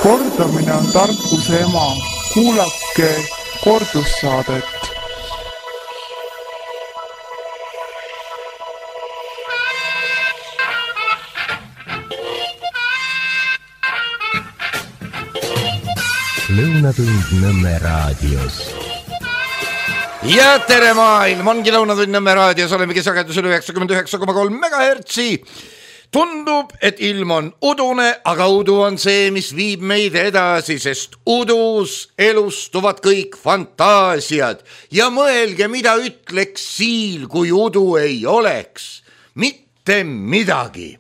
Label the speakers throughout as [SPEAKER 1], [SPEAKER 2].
[SPEAKER 1] Kordamine on tarkuse ema. Kuulake kordussaadet.
[SPEAKER 2] Lõunatund Nõmme raadios.
[SPEAKER 3] Ja tere maailm, ongi Lõunatund Nõmme raadios, olemegi sagedusel 99,3 MHz. Tundub, et ilm on udune, aga udu on see, mis viib meid edasi, sest udus elustuvad kõik fantaasiad. Ja mõelge, mida ütleks siil, kui udu ei oleks. Mitte midagi.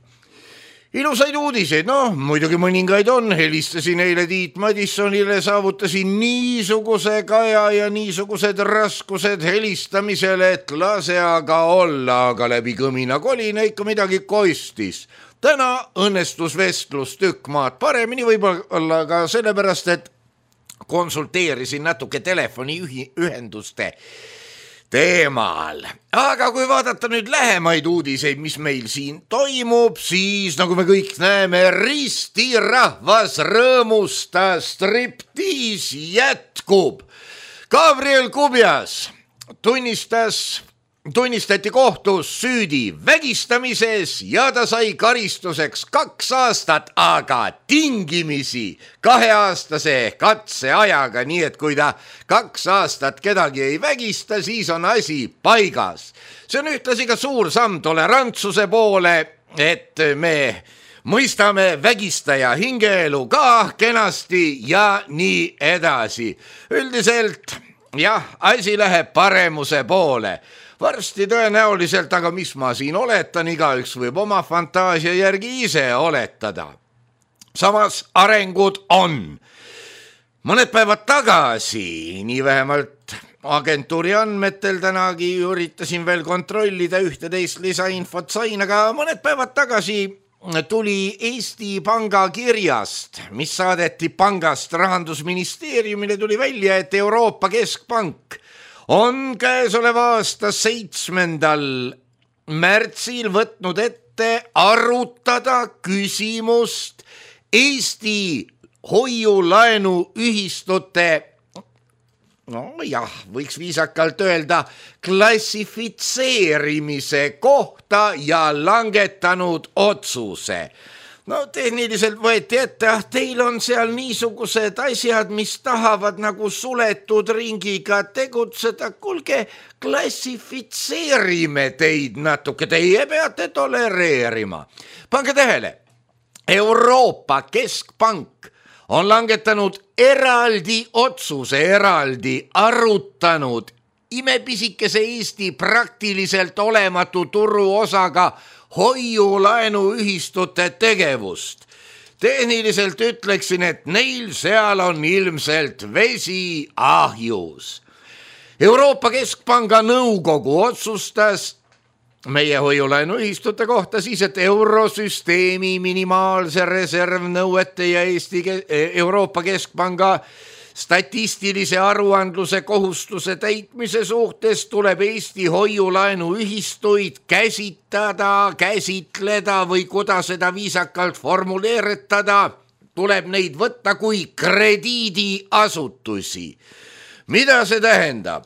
[SPEAKER 3] Ilusaid uudiseid, muidugi mõningaid on, helistasin eile Tiit Madissonile, saavutasin niisuguse kaja ja niisugused raskused helistamisele, et lase aga olla, aga läbi kõmina kolina ikka midagi koistis. Täna õnnestus vestlus tükk maad paremini, võib-olla ka sellepärast, et konsulteerisin natuke telefoniühenduste teemal. Aga kui vaadata nüüd lähemaid uudiseid, mis meil siin toimub, siis nagu me kõik näeme, ristirahvas rõõmustas, striptiis jätkub. Gabriel Kubjas tunnistati kohtus süüdi vägistamises ja ta sai karistuseks 2 aastat, aga tingimisi 2-aastase katseajaga, nii et kui ta 2 aastat kedagi ei vägista, siis on asi paigas. See on ühtlasi ka suur samm tolerantsuse poole, et me mõistame vägistaja hingeelu ka kenasti ja nii edasi. Üldiselt, asi läheb paremuse poole. Varsti tõenäoliselt, aga mis ma siin oletan, igaüks võib oma fantaasia järgi ise oletada. Samas arengud on. Mõned päevad tagasi, nii vähemalt agentuuri andmetel, tänagi üritasin veel kontrollida ühte-teist lisainfot sain, aga mõned päevad tagasi tuli Eesti Panga kirjast, mis saadeti pangast Rahandusministeeriumile, tuli välja, et Euroopa Keskpank on käesoleva aasta 7. märtsil võtnud ette arutada küsimust Eesti hoiulaenuühistute, võiks viisakalt öelda, klassifitseerimise kohta ja langetanud otsuse. Tehniliselt võeti ette, teil on seal niisugused asjad, mis tahavad nagu suletud ringiga tegutseda. Kuulge, klassifitseerime teid natuke, teie peate tolereerima. Pange tähele, Euroopa Keskpank on langetanud eraldi otsuse, eraldi arutanud imepisikese Eesti praktiliselt olematu turuosaga hoiulaenuühistute tegevust. Tehniliselt ütleksin, et neil seal on ilmselt vesi ahjus. Euroopa Keskpanga nõukogu otsustas meie hoiulaenuühistute kohta siis, et eurosüsteemi minimaalse reservnõuete ja Euroopa Keskpanga statistilise aruandluse kohustuse täitmise suhtes tuleb Eesti hoiulaenuühistuid käsitleda või kuidas seda viisakalt formuleeritada, tuleb neid võtta kui krediidiasutusi. Mida see tähendab?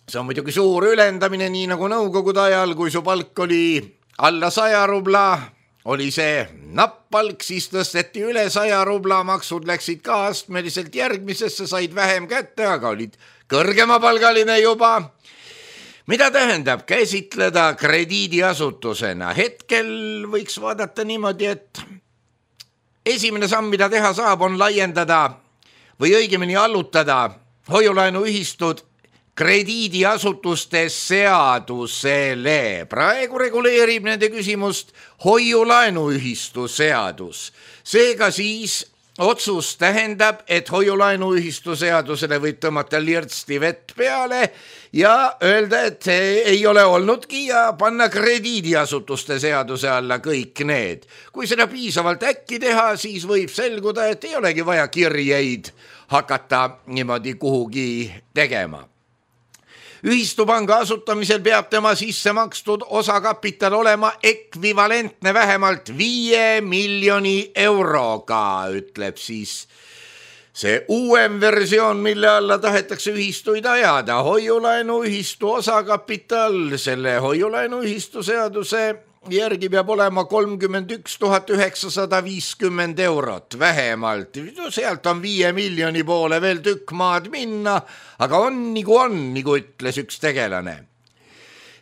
[SPEAKER 3] See on muidugi suur ülendamine, nii nagu nõukogude ajal, kui su palk oli alla 100 rubla, oli see nappalk, siis tõsteti üle 100 rubla, maksud läksid ka astmeliselt järgmisesse, said vähem kätte, aga olid kõrgemapalgaline juba. Mida tähendab käsitleda krediidiasutusena? Hetkel võiks vaadata niimoodi, et esimene samm, mida teha saab, on laiendada või õigemini allutada hoiulaenuühistud krediidiasutuste seadusele. Praegu reguleerib nende küsimust hoiulaenuühistu seadus. Seega siis otsus tähendab, et hoiulaenuühistu seadusele võib tõmmata lirtsti vett peale ja öelda, et ei ole olnudki ja panna krediidiasutuste seaduse alla kõik need. Kui seda piisavalt äkki teha, siis võib selguda, et ei olegi vaja kirjeid hakata niimoodi kuhugi tegema. ühistupanga asutamisel peab tema sisse makstud osakapital olema ekvivalentne vähemalt 5 miljoni euroga, ütleb siis see uuem versioon, mille alla tahetakse ühistuid ajada. Hoiulaenuühistu osakapital selle hoiulaenuühistu seaduse järgi peab olema 31 950 eurot vähemalt. Sealt on 5 miljoni poole veel tükk maad minna, aga on, nagu ütles üks tegelane.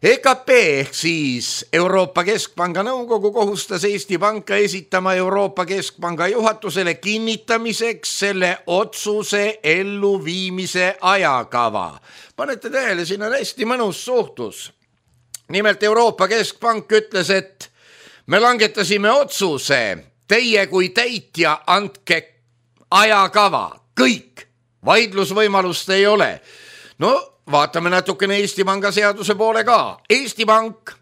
[SPEAKER 3] EKP ehk siis Euroopa Keskpanga nõukogu kohustas Eesti Panka esitama Euroopa Keskpanga juhatusele kinnitamiseks selle otsuse elluviimise ajakava. Panete tähele, siin on hästi mõnus suhtlus. Nimelt Euroopa Keskpank ütles, et me langetasime otsuse, teie kui täitja andke ajakava, kõik, vaidlusvõimalust ei ole. No vaatame natukene Eesti Panga seaduse poole ka. Eesti Pank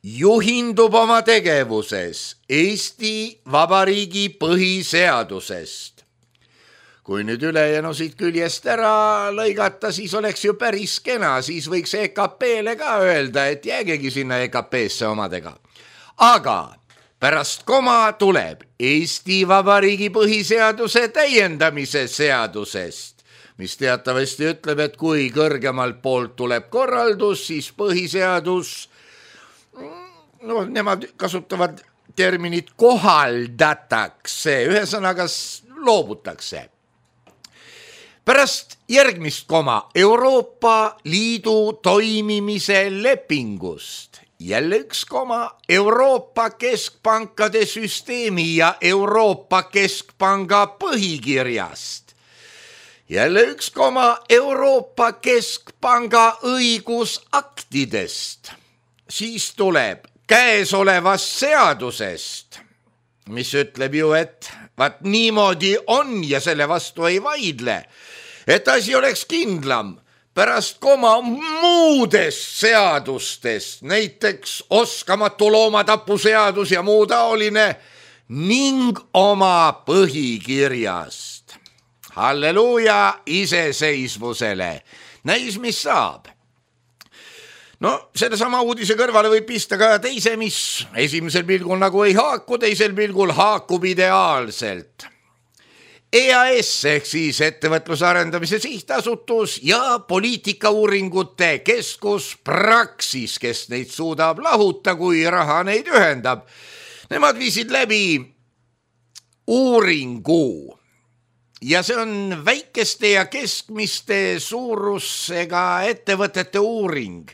[SPEAKER 3] juhindub oma tegevuses Eesti Vabariigi põhiseadusest. Kui nüüd ülejäänu siit küljest ära lõigata, siis oleks ju päris kena, siis võiks EKP-le ka öelda, et jäägegi sinna EKP-sse omadega. Aga pärast koma tuleb Eesti Vabariigi põhiseaduse täiendamise seadusest, mis teatavasti ütleb, et kui kõrgemalt poolt tuleb korraldus, siis põhiseadus, nemad kasutavad terminit kohaldatakse, ühesõnaga loobutakse. Pärast järgmist koma Euroopa Liidu toimimise lepingust, jälle üks koma Euroopa Keskpankade süsteemi ja Euroopa Keskpanga põhikirjast, jälle üks koma Euroopa Keskpanga õigusaktidest, siis tuleb käesolevast seadusest, mis ütleb ju, et vaat niimoodi on ja selle vastu ei vaidle, et asi oleks kindlam, pärast koma muudest seadustest, näiteks oskamatu loomatapu seadus ja muu taoline, ning oma põhikirjast. Halleluuja iseseisvusele. Näis, mis saab. No, selle sama uudise kõrvale võib pista ka teise, mis esimesel pilgul nagu ei haaku, teisel pilgul haakub ideaalselt. EAS ehk siis ettevõtluse arendamise sihtasutus ja poliitikauuringute keskus Praxis, kes neid suudab lahuta, kui raha neid ühendab. Nemad viisid läbi uuringu ja see on väikeste ja keskmiste suurusega ettevõtete uuring.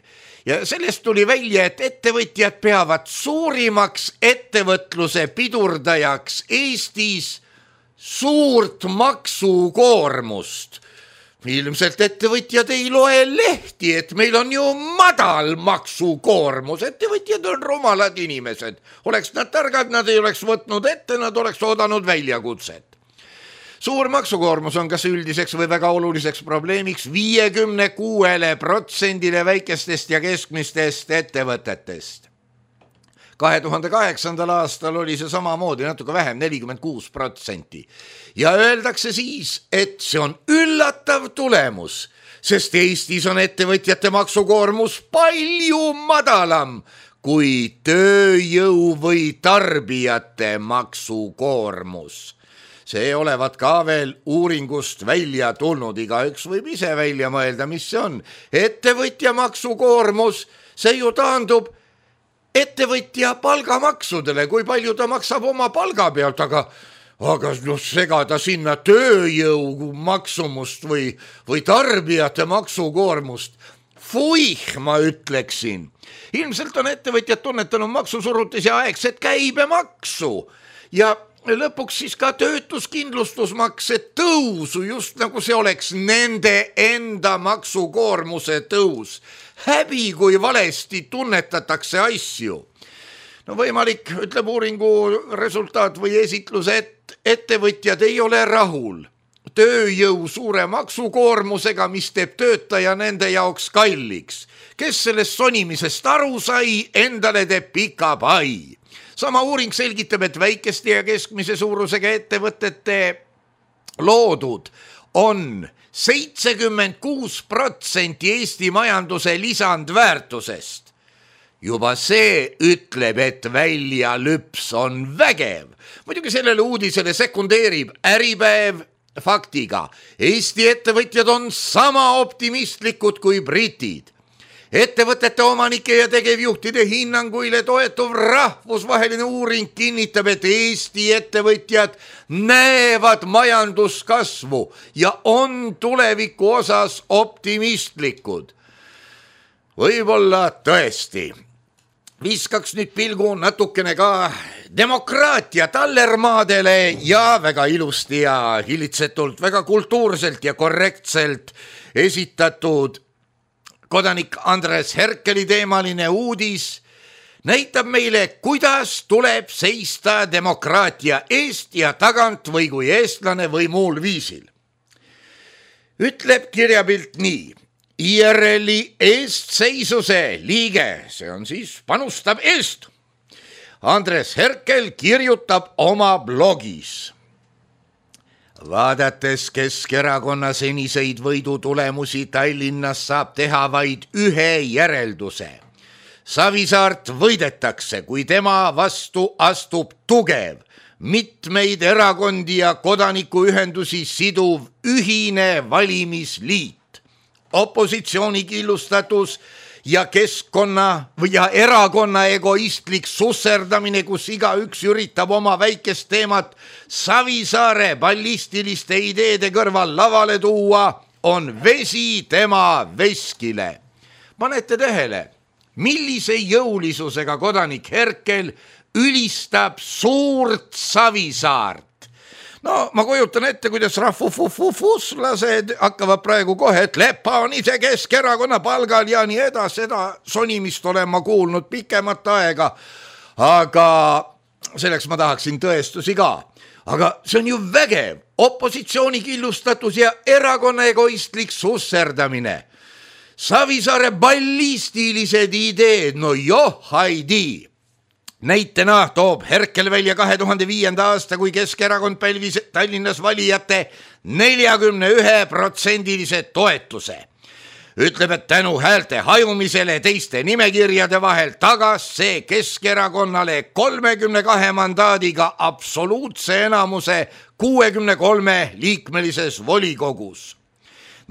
[SPEAKER 3] Ja sellest tuli välja, et ettevõtjad peavad suurimaks ettevõtluse pidurdajaks Eestis suurt maksukoormust. Ilmselt ettevõtjad ei loe lehti, et meil on ju madal maksukoormus. Ettevõtjad on rumalad inimesed. Oleks nad targad, nad ei oleks võtnud ette, nad oleks oodanud väljakutset. Suur maksukoormus on kas üldiseks või väga oluliseks probleemiks 56% väikestest ja keskmistest ettevõtetest. 2008. aastal oli see samamoodi natuke vähem, 46%. Ja öeldakse siis, et see on üllatav tulemus, sest Eestis on ettevõtjate maksukoormus palju madalam kui tööjõu või tarbijate maksukoormus. See olevat ka veel uuringust välja tulnud, igaüks võib ise välja mõelda, mis see on. Ettevõtja maksukoormus, see ju taandub ettevõtja palgamaksudele, kui palju ta maksab oma palga pealt, aga segada sinna tööjõu maksumust või tarbijate maksukoormust. Fuih, ma ütleksin. Ilmselt on ettevõtjad tunnetanud maksusurutis ja aegset käibemaksu ja lõpuks siis ka töötuskindlustusmakse tõusu, just nagu see oleks nende enda maksukoormuse tõus. Häbi, kui valesti tunnetatakse asju. No võimalik, ütleb uuringu resultaat või esitlus, et ettevõtjad ei ole rahul tööjõu suure maksukoormusega, mis teeb töötaja nende jaoks kalliks. Kes sellest sonimisest aru sai, endale teeb pika pai. Sama uuring selgitab, et väikeste ja keskmise suurusega ettevõtete loodud on 76% Eesti majanduse lisandväärtusest. Juba see ütleb, et väljalüps on vägev. Muidugi sellele uudisele sekundeerib Äripäev faktiga. Eesti ettevõtjad on sama optimistlikud kui britid. Ettevõtete omanike ja tegevjuhtide hinnanguile toetuv rahvusvaheline uuring kinnitab, et Eesti ettevõtjad näevad majanduskasvu ja on tuleviku osas optimistlikud. Võib-olla tõesti. Viskaks nüüd pilgu natukene ka demokraatia tallermaadele ja väga ilusti ja hillitsetult, väga kultuurselt ja korrektselt esitatud kodanik Andres Herkeli teemaline uudis näitab meile, kuidas tuleb seista demokraatia eest ja tagant või kui eestlane või muul viisil. Ütleb kirjapilt nii. IRL-i eestseisuse liige, see on siis panustab eest. Andres Herkel kirjutab oma blogis. Vaadates Keskerakonna seniseid võidutulemusi Tallinnas saab teha vaid ühe järelduse. Savisaart võidetakse, kui tema vastu astub tugev, mitmeid erakondi ja kodanikuühendusi siduv ühine valimisliit. Opositsiooni killustatus ja keskkonna ja erakonna egoistlik susserdamine, kus igaüks üritab oma väikest teemat Savisaare ballistiliste ideede kõrval lavale tuua, on vesi tema veskile. Panete tähele, millise jõulisusega kodanik Herkel ülistab suurt Savisaart. No ma kujutan ette, kuidas rahvufuslased hakkavad praegu kohe, et Lepa on ise Keskerakonna palgal ja nii edas, seda sonimist olen ma kuulnud pikemat aega, aga selleks ma tahaksin tõestusi ka. Aga see on ju vägev, opositsiooni killustatus ja erakonna egoistlik susserdamine. Savisaare ballistilised ideed, no johaidi. Näitena toob Herkel välja 2005. aasta, kui Keskerakond pälvis Tallinnas valijate 41% toetuse. Ütleb, et tänu häälte hajumisele teiste nimekirjade vahel tagas see Keskerakonnale 32 mandaadiga absoluutse enamuse 63 liikmelises volikogus.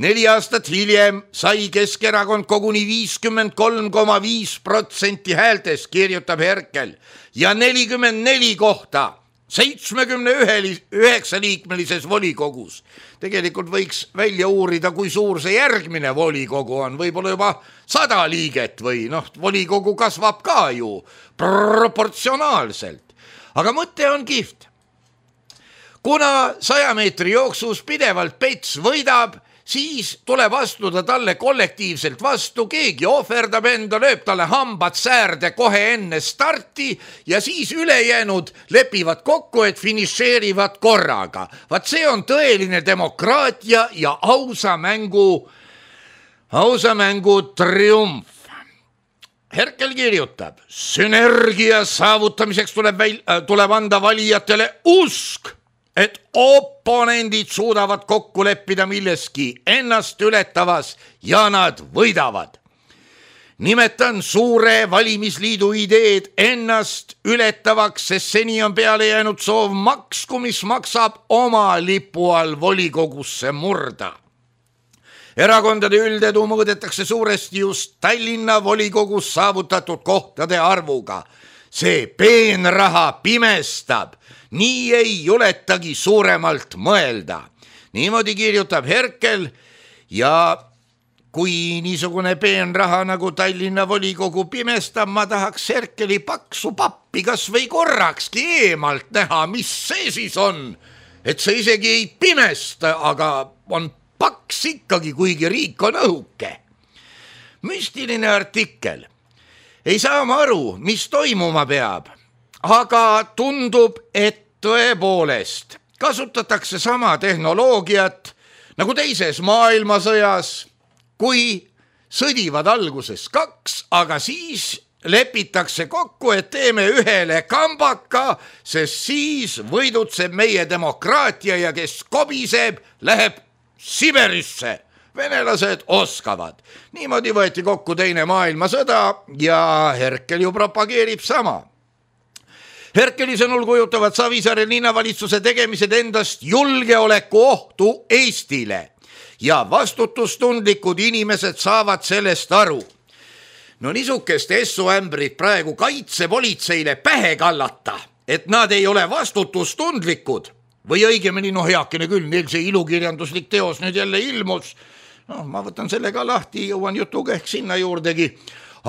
[SPEAKER 3] 4 aastat hiljem sai Keskerakond koguni 53,5% häältest, kirjutab Herkel, ja 44 kohta 79 liikmelises volikogus. Tegelikult võiks välja uurida, kui suur see järgmine volikogu on, võib-olla juba 100 liiget või volikogu kasvab ka ju proportsionaalselt. Aga mõte on kihvt. Kuna 100 meetri jooksus pidevalt Pets võidab, siis tuleb astuda talle kollektiivselt vastu, keegi ohverdab enda, lööb talle hambad säärde kohe enne starti ja siis ülejäänud lepivad kokku, et finišeerivad korraga. Vaat see on tõeline demokraatia ja ausa mängu triumf. Herkel kirjutab, sünergia saavutamiseks tuleb anda valijatele usk, et oponendid suudavad kokku leppida milleski ennast ületavas ja nad võidavad. Nimetan suure valimisliidu ideed ennast ületavaks, sest seni on peale jäänud soov maksku, mis maksab oma lipu all volikogusse murda. Erakondade üldedu mõõdetakse suuresti just Tallinna volikogus saavutatud kohtade arvuga. See peenraha pimestab. Nii ei juletagi suuremalt mõelda. Niimoodi kirjutab Herkel ja kui niisugune peenraha nagu Tallinna volikogu pimestab, ma tahaks Herkeli paksu pappi kas või korrakski eemalt näha, mis see siis on. Et see isegi ei pimesta, aga on paks ikkagi, kuigi riik on õhuke. Müstiline artikkel. Ei saa ma aru, mis toimuma peab. Aga tundub, et tõepoolest kasutatakse sama tehnoloogiat nagu teises maailmasõjas, kui sõdivad alguses 2, aga siis lepitakse kokku, et teeme ühele kambaka, sest siis võidutseb meie demokraatia ja kes kobiseb, läheb Siberisse. Venelased oskavad. Niimoodi võeti kokku teine maailmasõda ja Herkel ju propageerib sama. Herkeli sõnul kujutavad Savisaare linnavalitsuse tegemised endast julgeoleku ohtu Eestile ja vastutustundlikud inimesed saavad sellest aru. No niisugust essuämbrit praegu kaitsepolitseile pähe kallata, et nad ei ole vastutustundlikud või õigemini, heakene küll, neil see ilukirjanduslik teos nüüd jälle ilmus. Ma võtan selle ka lahti, jõuan jutuga ehk sinna juurdegi,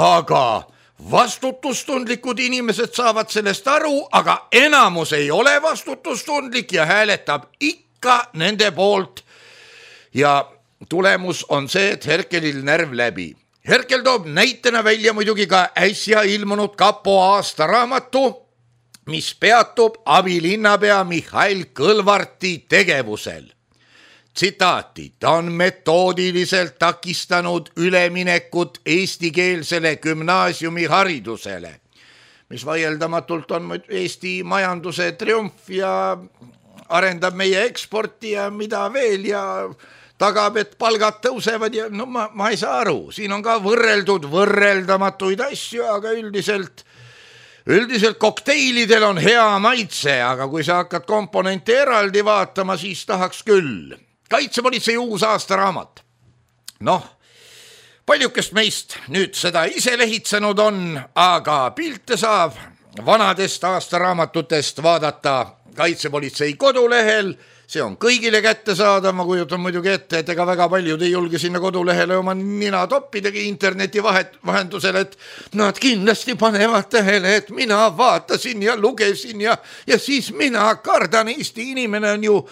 [SPEAKER 3] aga vastutustundlikud inimesed saavad sellest aru, aga enamus ei ole vastutustundlik ja hääletab ikka nende poolt. Ja tulemus on see, et Herkelil närv läbi. Herkel toob näitena välja muidugi ka äsja ilmunud kapo aastaraamatu, mis peatub abilinnapea Mihhail Kõlvarti tegevusel. Tsitaati, ta on metoodiliselt takistanud üleminekut eestikeelsele gümnaasiumi haridusele, mis vaieldamatult on Eesti majanduse triumf ja arendab meie eksporti ja mida veel ja tagab, et palgad tõusevad ja ma ei saa aru, siin on ka võrreldud võrreldamatuid asju, aga üldiselt kokteilidel on hea maitse, aga kui sa hakkad komponente eraldi vaatama, siis tahaks küll. Kaitsepolitsei uus aastaraamat. Paljukest meist nüüd seda ise lehitsenud on, aga pilte saab vanadest aastaraamatutest vaadata Kaitsepolitsei kodulehel. See on kõigile kättesaadav, ma kujutan muidugi ette, et ega väga paljud ei julge sinna kodulehele oma nina toppidagi interneti vahendusel, et nad kindlasti panevad tähele, et mina vaatasin ja lugesin ja siis mina kardan, Eesti inimene on ju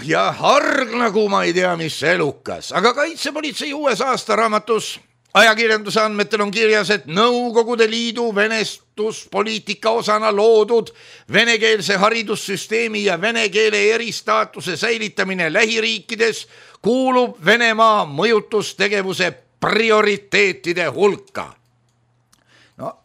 [SPEAKER 3] ja harg nagu ma ei tea, mis elukas. Aga Kaitsepolitsei uues aastaraamatus ajakirjanduse andmetel on kirjas, et Nõukogude Liidu venestuspoliitika osana loodud venekeelse haridussüsteemi ja vene keele eristaatuse säilitamine lähiriikides kuulub Venemaa mõjutustegevuse prioriteetide hulka.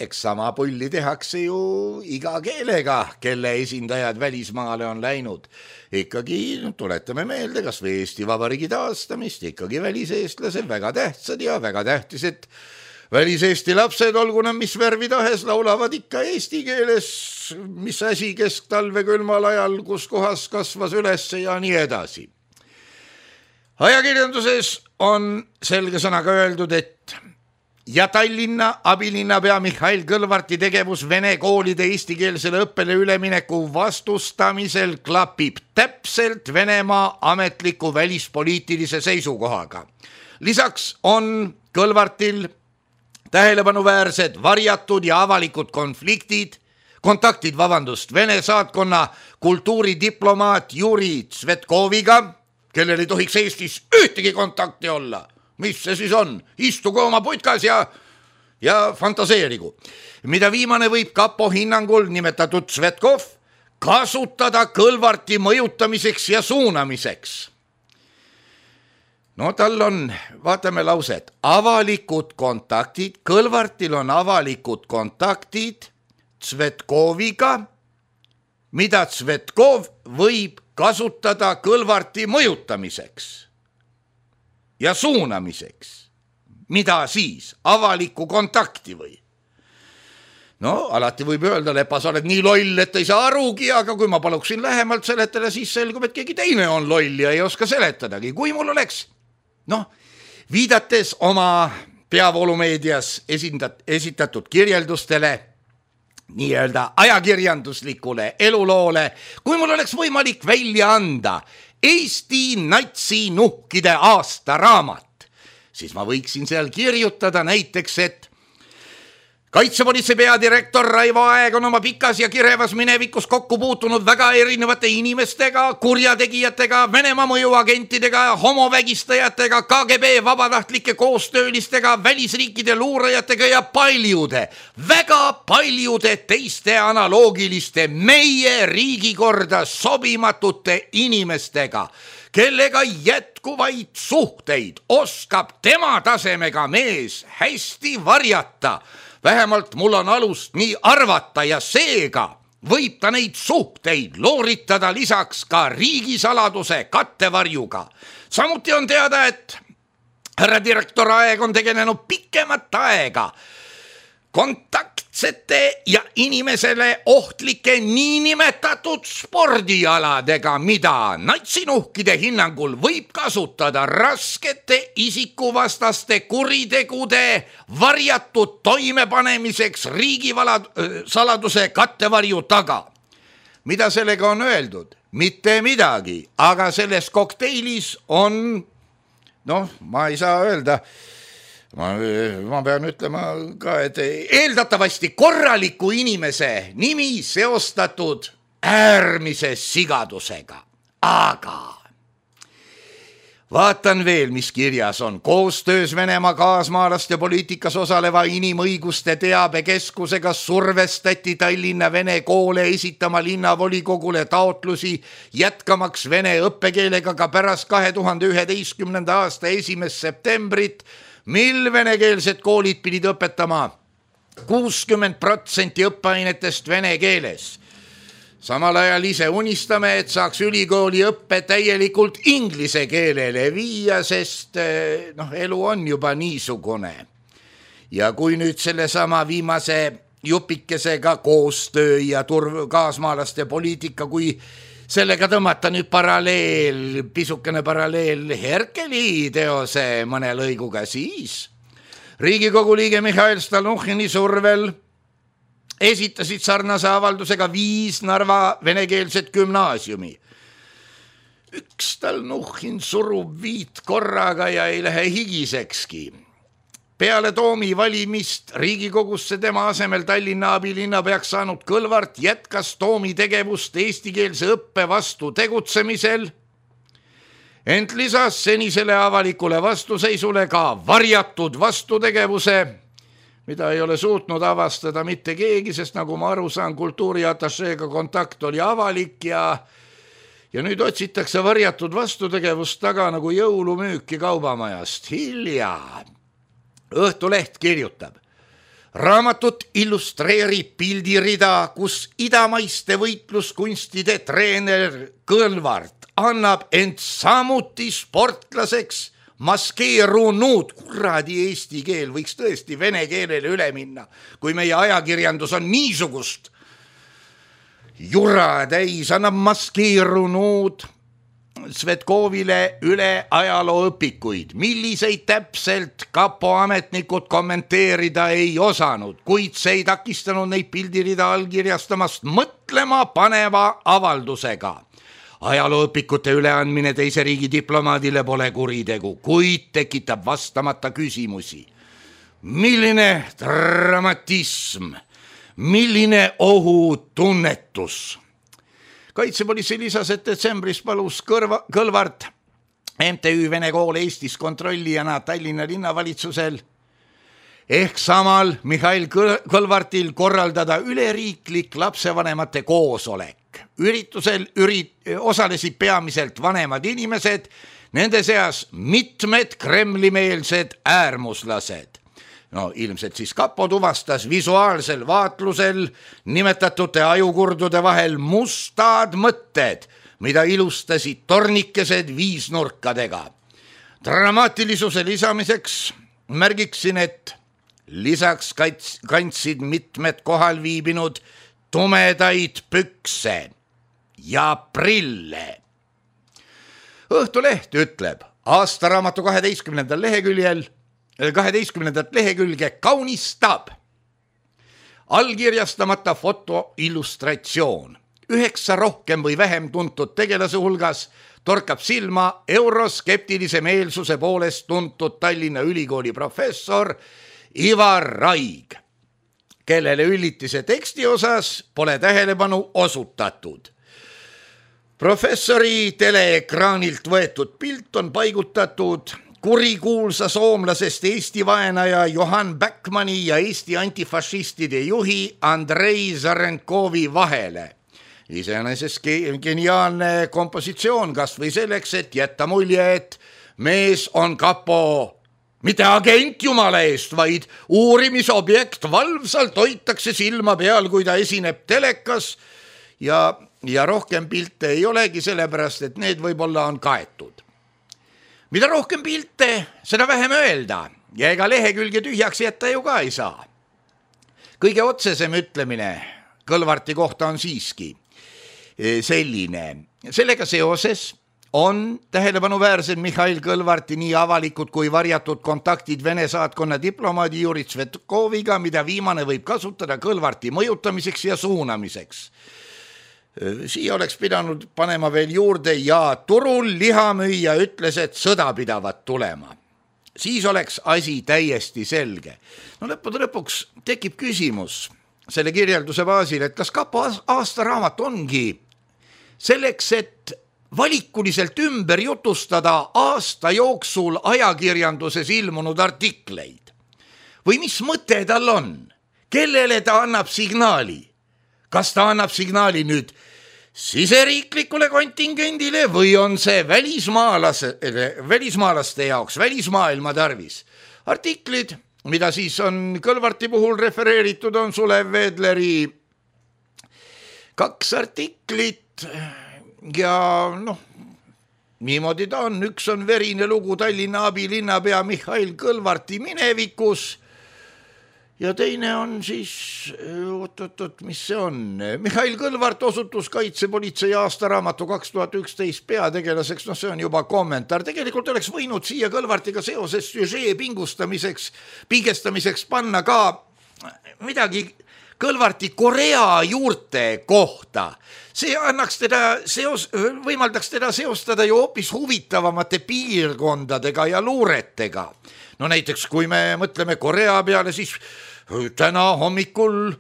[SPEAKER 3] Eks sama pulli tehakse ju iga keelega, kelle esindajad välismaale on läinud. Ikkagi tuletame meelde, kas või Eesti Vabariigi taastamist, ikkagi väliseestlased väga tähtsad ja väga tähtis, et väliseesti lapsed, olgu nad mis värvi tahes, laulavad ikka eesti keeles, mis asi kesktalve külmal ajal, kus kohas kasvas üles ja nii edasi. Ajakirjanduses on selge sõnaga öeldud, et ja Tallinna abilinnapea Mihhail Kõlvarti tegevus vene koolide eestikeelsele õppele ülemineku vastustamisel klapib täpselt Venemaa ametliku välispoliitilise seisukohaga. Lisaks on Kõlvartil tähelepanuväärsed varjatud ja avalikud kontaktid Vene saatkonna kultuuridiplomaat Juri Tsvetkoviga, kellel ei tohiks Eestis ühtegi kontakti olla. Mis see siis on? Istugu oma putkas ja fantaseerigu. Mida viimane võib kapo hinnangul nimetatud Tsvetkov kasutada Kõlvarti mõjutamiseks ja suunamiseks. Tal on, vaatame lauset, avalikud kontaktid, Kõlvartil on avalikud kontaktid Tsvetkoviga, mida Tsvetkov võib kasutada Kõlvarti mõjutamiseks ja suunamiseks. Mida siis? Avalikku kontakti või? Alati võib öelda, Lepa, sa oled nii loll, et ei saa arugi, aga kui ma paluksin lähemalt seletada, siis selgub, et keegi teine on loll ja ei oska seletadagi. Kui mul oleks, viidates oma peavoolumeedias esitatud kirjeldustele, nii-öelda ajakirjanduslikule eluloole, kui mul oleks võimalik välja anda Eesti natsinuhkide aastaraamat, siis ma võiksin seal kirjutada näiteks, et Kaitsepolitsei peadirektor Raivo Aeg on oma pikas ja kirevas minevikus kokku puutunud väga erinevate inimestega, kurjategijatega, Venemaa mõjuagentidega, homovägistajatega, KGB vabatahtlike koostöölistega, välisriikide luurajatega ja väga paljude teiste analoogiliste meie riigikorda sobimatute inimestega, kellega jätkuvaid suhteid oskab tema tasemega mees hästi varjata. Vähemalt mul on alust nii arvata ja seega võib ta neid suhteid looritada lisaks ka riigisaladuse kattevarjuga. Samuti on teada, et härra direktor Aeg on tegelenud pikemat aega kontaktsete ja inimesele ohtlike niinimetatud spordialadega, mida natsinuhkide hinnangul võib kasutada raskete isikuvastaste kuritegude varjatud toimepanemiseks riigisaladuse kattevarju taga. Mida sellega on öeldud? Mitte midagi, aga selles kokteilis on, ma ei saa öelda, ma pean ütlema ka, et eeldatavasti korraliku inimese nimi seostatud äärmise sigadusega. Aga vaatan veel, mis kirjas on. Koostöös Venemaa kaasmaalaste poliitikas osaleva inimõiguste teabekeskusega survestati Tallinna vene koole esitama linnavolikogule taotlusi jätkamaks vene õppekeelega ka pärast 2011. aasta 1. septembrit, mil venekeelsed koolid pidid õpetama 60% õppeainetest vene keeles. Samal ajal ise unistame, et saaks ülikooli õppe täielikult inglise keelele viia, sest elu on juba niisugune. Ja kui nüüd sellesama viimase jupikesega koostöö ja kaasmaalaste poliitika, kui sellega tõmmata nüüd pisukene paralleel Herkeli teose mõne lõiguga, siis Riigikogu liige Mihhail Stalnuhhini survel esitasid sarnase avaldusega 5 Narva venekeelset gümnaasiumi. Üks Stalnuhhin surub 5 korraga ja ei lähe higisekski. Peale Toomi valimist Riigikogusse tema asemel Tallinna abilinnapeaks saanud Kõlvart jätkas Toomi tegevust eestikeelse õppe vastu tegutsemisel, ent lisas senisele avalikule vastuseisule ka varjatud vastutegevuse, mida ei ole suutnud avastada mitte keegi, sest nagu ma aru saan, kultuuriatašeega kontakt oli avalik ja nüüd otsitakse varjatud vastutegevust taga nagu jõulumüüki kaubamajast. Hilja Õhtuleht kirjutab: raamatut illustreerib pildirida, kus idamaiste võitluskunstide treener Kõlvart annab end samuti sportlaseks maskeerunud. Kuradi eesti keel võiks tõesti vene keelele üle minna, kui meie ajakirjandus on niisugust jura täis, annab maskeerunud Svetkovile üle ajalooõpikuid, milliseid täpselt kapo ametnikud kommenteerida ei osanud, kuid see ei takistanud neid pildirida allkirjastamast mõtlema paneva avaldusega. Ajalooõpikute üleandmine teise riigi diplomaadile pole kuritegu, kuid tekitab vastamata küsimusi. Milline dramatism, milline ohutunnetus? Kaitsepolitsei lisas, et detsembris palus Kõlvart MTÜ Vene kool Eestis kontrollijana Tallinna linnavalitsusel ehk samal Mihhail Kõlvartil korraldada üleriiklik lapsevanemate koosolek. Üritusel osalesid peamiselt vanemad inimesed, nende seas mitmed kremlimeelsed äärmuslased. Ilmselt siis kapo tuvastas visuaalsel vaatlusel nimetatute ajukurdude vahel mustad mõtted, mida ilustasid tornikesed viisnurkadega. Dramaatilisuse lisamiseks märgiksin, et lisaks kandsid mitmed kohal viibinud tumedaid pükse ja prille. Õhtuleht ütleb aastaraamatu 12. lehekülge kaunistab allkirjastamata foto illustratsioon. 9 rohkem või vähem tuntud tegelase hulgas torkab silma euroskeptilise meelsuse poolest tuntud Tallinna Ülikooli professor Ivar Raig, kellele üllitise teksti osas pole tähelepanu osutatud. Professori teleekraanilt võetud pilt on paigutatud kurikuulsa soomlasest Eesti vaenaja Johan Backmani ja Eesti antifašistide juhi Andrei Zarenkovi vahele. Iseenesest geniaalne kompositsioon kas või selleks, et jätta mulje, et mees on kapo mitte agent jumala eest, vaid uurimisobjekt, valvsalt hoitakse silma peal, kui ta esineb telekas ja rohkem pilte ei olegi, sellepärast et need võib-olla on kaetud. Mida rohkem pilte, seda vähem öelda ja ega lehekülge tühjaks jätta ju ka ei saa. Kõige otsesem ütlemine Kõlvarti kohta on siiski selline. Sellega seoses on tähelepanuväärsed Mihhail Kõlvarti nii avalikud kui varjatud kontaktid Vene saatkonna diplomaadi Juri Tsvetkoviga, mida viimane võib kasutada Kõlvarti mõjutamiseks ja suunamiseks. Siia oleks pidanud panema veel juurde ja turul lihamüüja ütles, et sõda pidavat tulema. Siis oleks asi täiesti selge. No lõpuks tekib küsimus selle kirjelduse baasil, et kas Kapo aastaraamat ongi selleks, et valikuliselt ümber jutustada aasta jooksul ajakirjanduses ilmunud artikleid. Või mis mõte tal on? Kellele ta annab signaali? Kas ta annab signaali nüüd siseriiklikule kontingendile või on see välismaalaste jaoks, välismaailma tarvis? Artiklid, mida siis on Kõlvarti puhul refereeritud, on Sulev Vedleri 2 artiklit ja niimoodi ta on. Üks on verine lugu Tallinna abilinnapea Mihhail Kõlvarti minevikus ja teine on siis, mis see on? Mihhail Kõlvart osutus kaitsepolitsei aastaraamatu 2011 peategelaseks, see on juba kommentaar. Tegelikult oleks võinud siia Kõlvartiga seoses süžee pingestamiseks panna ka midagi Kõlvarti Korea juurte kohta. See annaks võimaldaks teda seostada ju hoopis huvitavamate piirkondadega ja luuretega. No näiteks, kui me mõtleme Korea peale, siis täna hommikul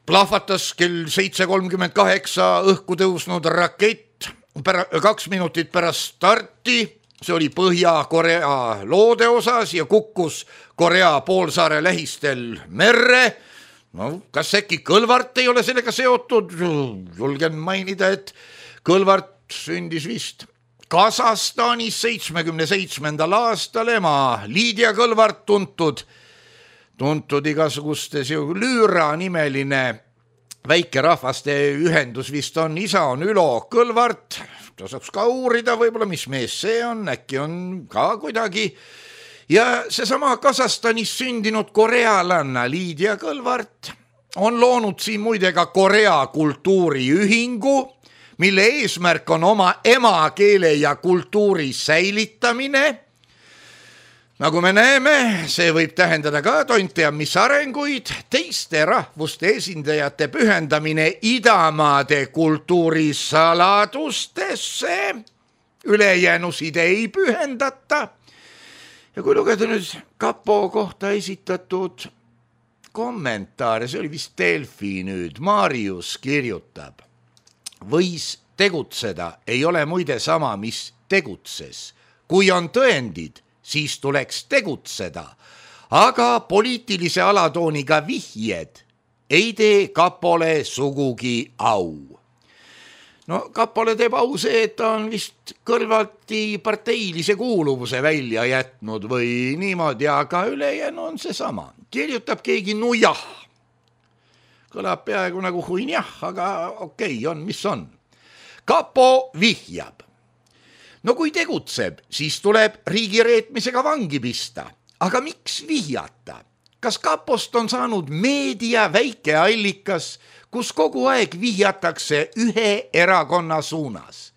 [SPEAKER 3] plahvatas kell 7:38 õhku tõusnud rakett 2 minutit pärast starti. See oli Põhja-Korea loode osas ja kukkus Korea poolsaare lähistel merre. No, kas äkki Kõlvart ei ole sellega seotud? Julgen mainida, et Kõlvart sündis vist Kasahstanis 77. aastal. Ema Liidia Kõlvart tuntud igasugustes Lüüra nimeline väikerahvaste ühendus vist on. Isa on Ülo Kõlvart. Ta saaks ka uurida võib-olla, mis mees see on, äkki on ka kuidagi. Ja seesama Kasahstanis sündinud korealanna Liidia Kõlvart on loonud siin muide ka Korea kultuuriühingu, mille eesmärk on oma emakeele ja kultuuri säilitamine. Nagu me näeme, see võib tähendada ka tonte ja mis arenguid, teiste rahvuste esindajate pühendamine idamaade kultuuri saladustesse, ülejäänusid ei pühendata. Ja kui lugeda nüüd Kapo kohta esitatud kommentaare, see oli vist Delfi nüüd, Marius kirjutab, võis tegutseda, ei ole muide sama, mis tegutses. Kui on tõendid, siis tuleks tegutseda, aga poliitilise alatooniga vihjed ei tee Kapole sugugi au. No Kapole teeb au see, et ta on vist Kõlvarti parteilise kuuluvuse välja jätnud või niimoodi, aga ülejäänu on see sama. Kirjutab keegi nujah. Kõlab peaaegu nagu huinjah, aga okei, on mis on. Kapo vihjab. No kui tegutseb, siis tuleb riigireetmisega vangi pista. Aga miks vihjata? Kas Kapost on saanud meedia väikeallikas, kus kogu aeg vihjatakse ühe erakonna suunas?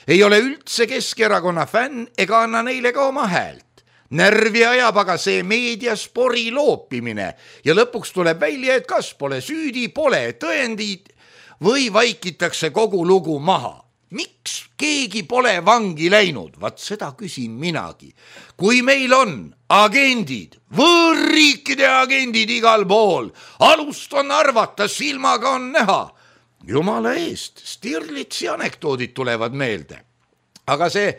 [SPEAKER 3] Ei ole üldse Keskerakonna fänn ega anna neile ka oma häält. Närvi ajab aga see meediaspori loopimine ja lõpuks tuleb välja, et kas pole süüdi, pole tõendid või vaikitakse kogu lugu maha. Miks keegi pole vangi läinud? Vaat seda küsin minagi. Kui meil on agendid, võõrriikide agendid igal pool, alust on arvata, silmaga on näha. Jumala eest, Stirlitsi anekdoodid tulevad meelde. Aga see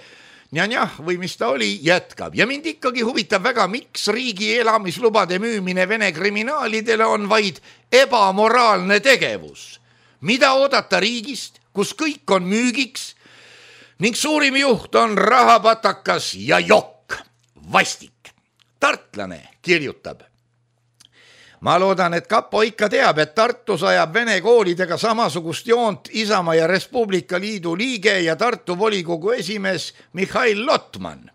[SPEAKER 3] njah või mis ta oli, jätkab. Ja mind ikkagi huvitab väga, miks riigi elamislubade müümine Vene kriminaalidele on vaid ebamoraalne tegevus. Mida oodata riigist, kus kõik on müügiks ning suurim juht on rahapatakas ja jokk, vastik. tartlane kirjutab. Ma loodan, et Kapo ikka teab, et Tartus ajab vene koolidega samasugust joont Isamaa ja Res Publica Liidu liige ja Tartu volikogu esimees Mihhail Lotman.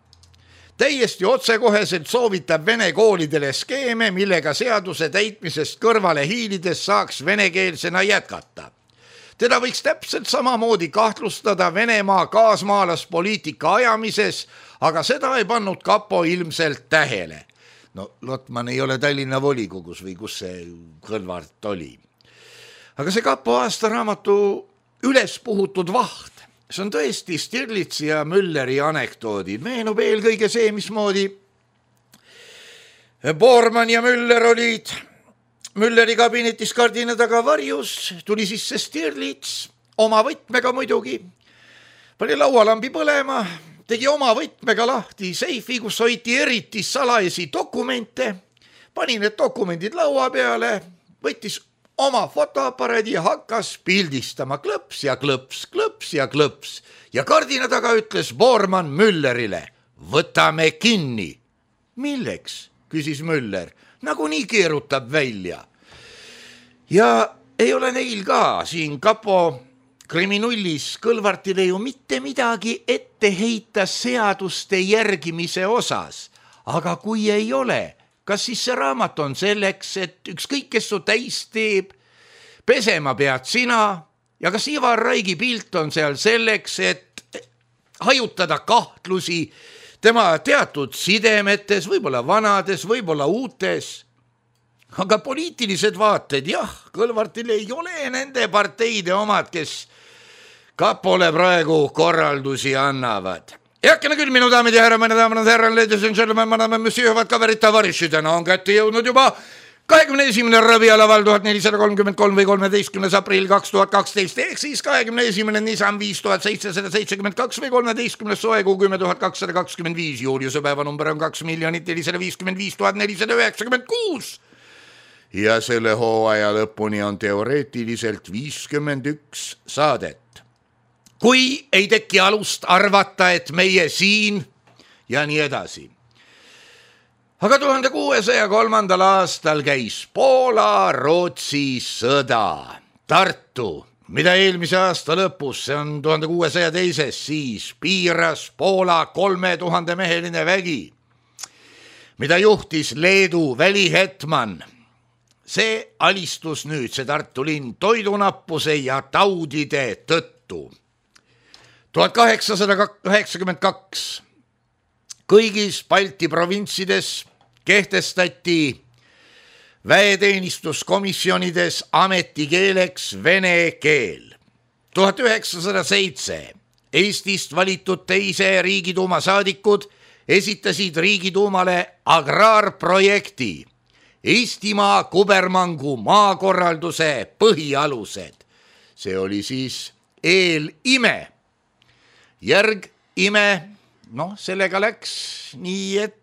[SPEAKER 3] Täiesti otsekoheselt soovitab vene koolidele skeeme, millega seaduse täitmisest kõrvale hiilides saaks venekeelsena jätkata. Teda võiks täpselt samamoodi kahtlustada Venemaa kaasmaalaspoliitika ajamises, aga seda ei pannud Kapo ilmselt tähele. No Lotman ei ole Tallinna volikogus või kus see Kõlvart oli. Aga see Kapo aastaraamatu üles puhutud vaht, see on tõesti Stirlitsi ja Mülleri anekdoodid. Meenub eelkõige see, mismoodi Bormann ja Müller olid Mülleri kabinetis kardina taga varjus, tuli sisse Stirlits, oma võtmega muidugi, pani laualambi põlema, tegi oma võtmega lahti seifi, kus hoiti eriti salajasi dokumente, pani need dokumendid laua peale, võttis oma fotoaparaadi ja hakkas pildistama klõps ja klõps, klõps ja klõps. Ja kardina taga ütles Bormann Müllerile, võtame kinni. Milleks, küsis Müller, nagunii keerutab välja. Ja ei ole neil ka siin Kapo kriminullis Kõlvartile ju mitte midagi ette heita seaduste järgimise osas. Aga kui ei ole, kas siis see raamat on selleks, et ükskõik kes su täis teeb, pesema pead sina ja kas Ivar Raigi pilt on seal selleks, et hajutada kahtlusi tema teatud sidemetes, võib-olla vanades, võib-olla uutes. Aga poliitilised vaated, jah, Kõlvartil ei ole nende parteide omad, kes Kapole praegu korraldusi annavad. Heakene küll, minu daamid ja härra, ladies and gentlemen, madame, monsieur, vad kaverit tavariši, täna on kätte jõudnud juba 21. rabialaval 1433 või 13. aprill 2012, ehk siis 21. Nissan 5772 või 13. soekuu 10225, juuliuse päeva number on 2 455 496 ja selle hooaja lõpuni on teoreetiliselt 51 saadet. Kui ei teki alust arvata, et meie siin ja nii edasi. Aga 1603. aastal käis Poola-Rootsi sõda. Tartu, mida eelmise aasta lõpus, see on 1602, siis piiras Poola 3000 meheline vägi, mida juhtis Leedu välihetman. See alistus nüüd, see Tartu linn, toidunappuse ja taudide tõttu. 1892 kõigis Balti provintsides kehtestati väeteenistuskomisjonides ametikeeleks vene keel. 1907 Eestist valitud teise Riigiduuma saadikud esitasid Riigiduumale agraarprojekti Eestimaa kubermangu maakorralduse põhialused. See oli siis eelime. Järgime, sellega läks nii, et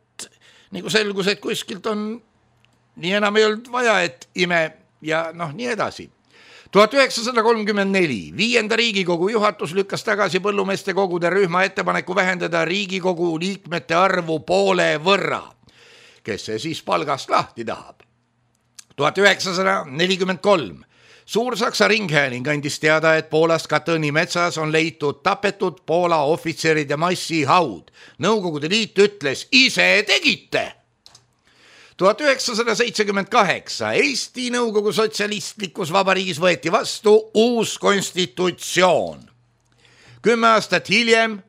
[SPEAKER 3] nagu selgus, et kuskilt on nii enam ei olnud vaja, et ime ja nii edasi. 1934 5. Riigikogu juhatus lükkas tagasi põllumeeste kogude rühma ettepaneku vähendada Riigikogu liikmete arvu poole võrra. Kes see siis palgast lahti tahab? 1943 Suur-Saksa ringhääling andis teada, et Poolas Katõni metsas on leitud tapetud Poola ohvitseride massihaud. Nõukogude Liit ütles, ise tegite. 1978 Eesti Nõukogu sotsialistlikus vabariigis võeti vastu uus konstitutsioon. 10 aastat hiljem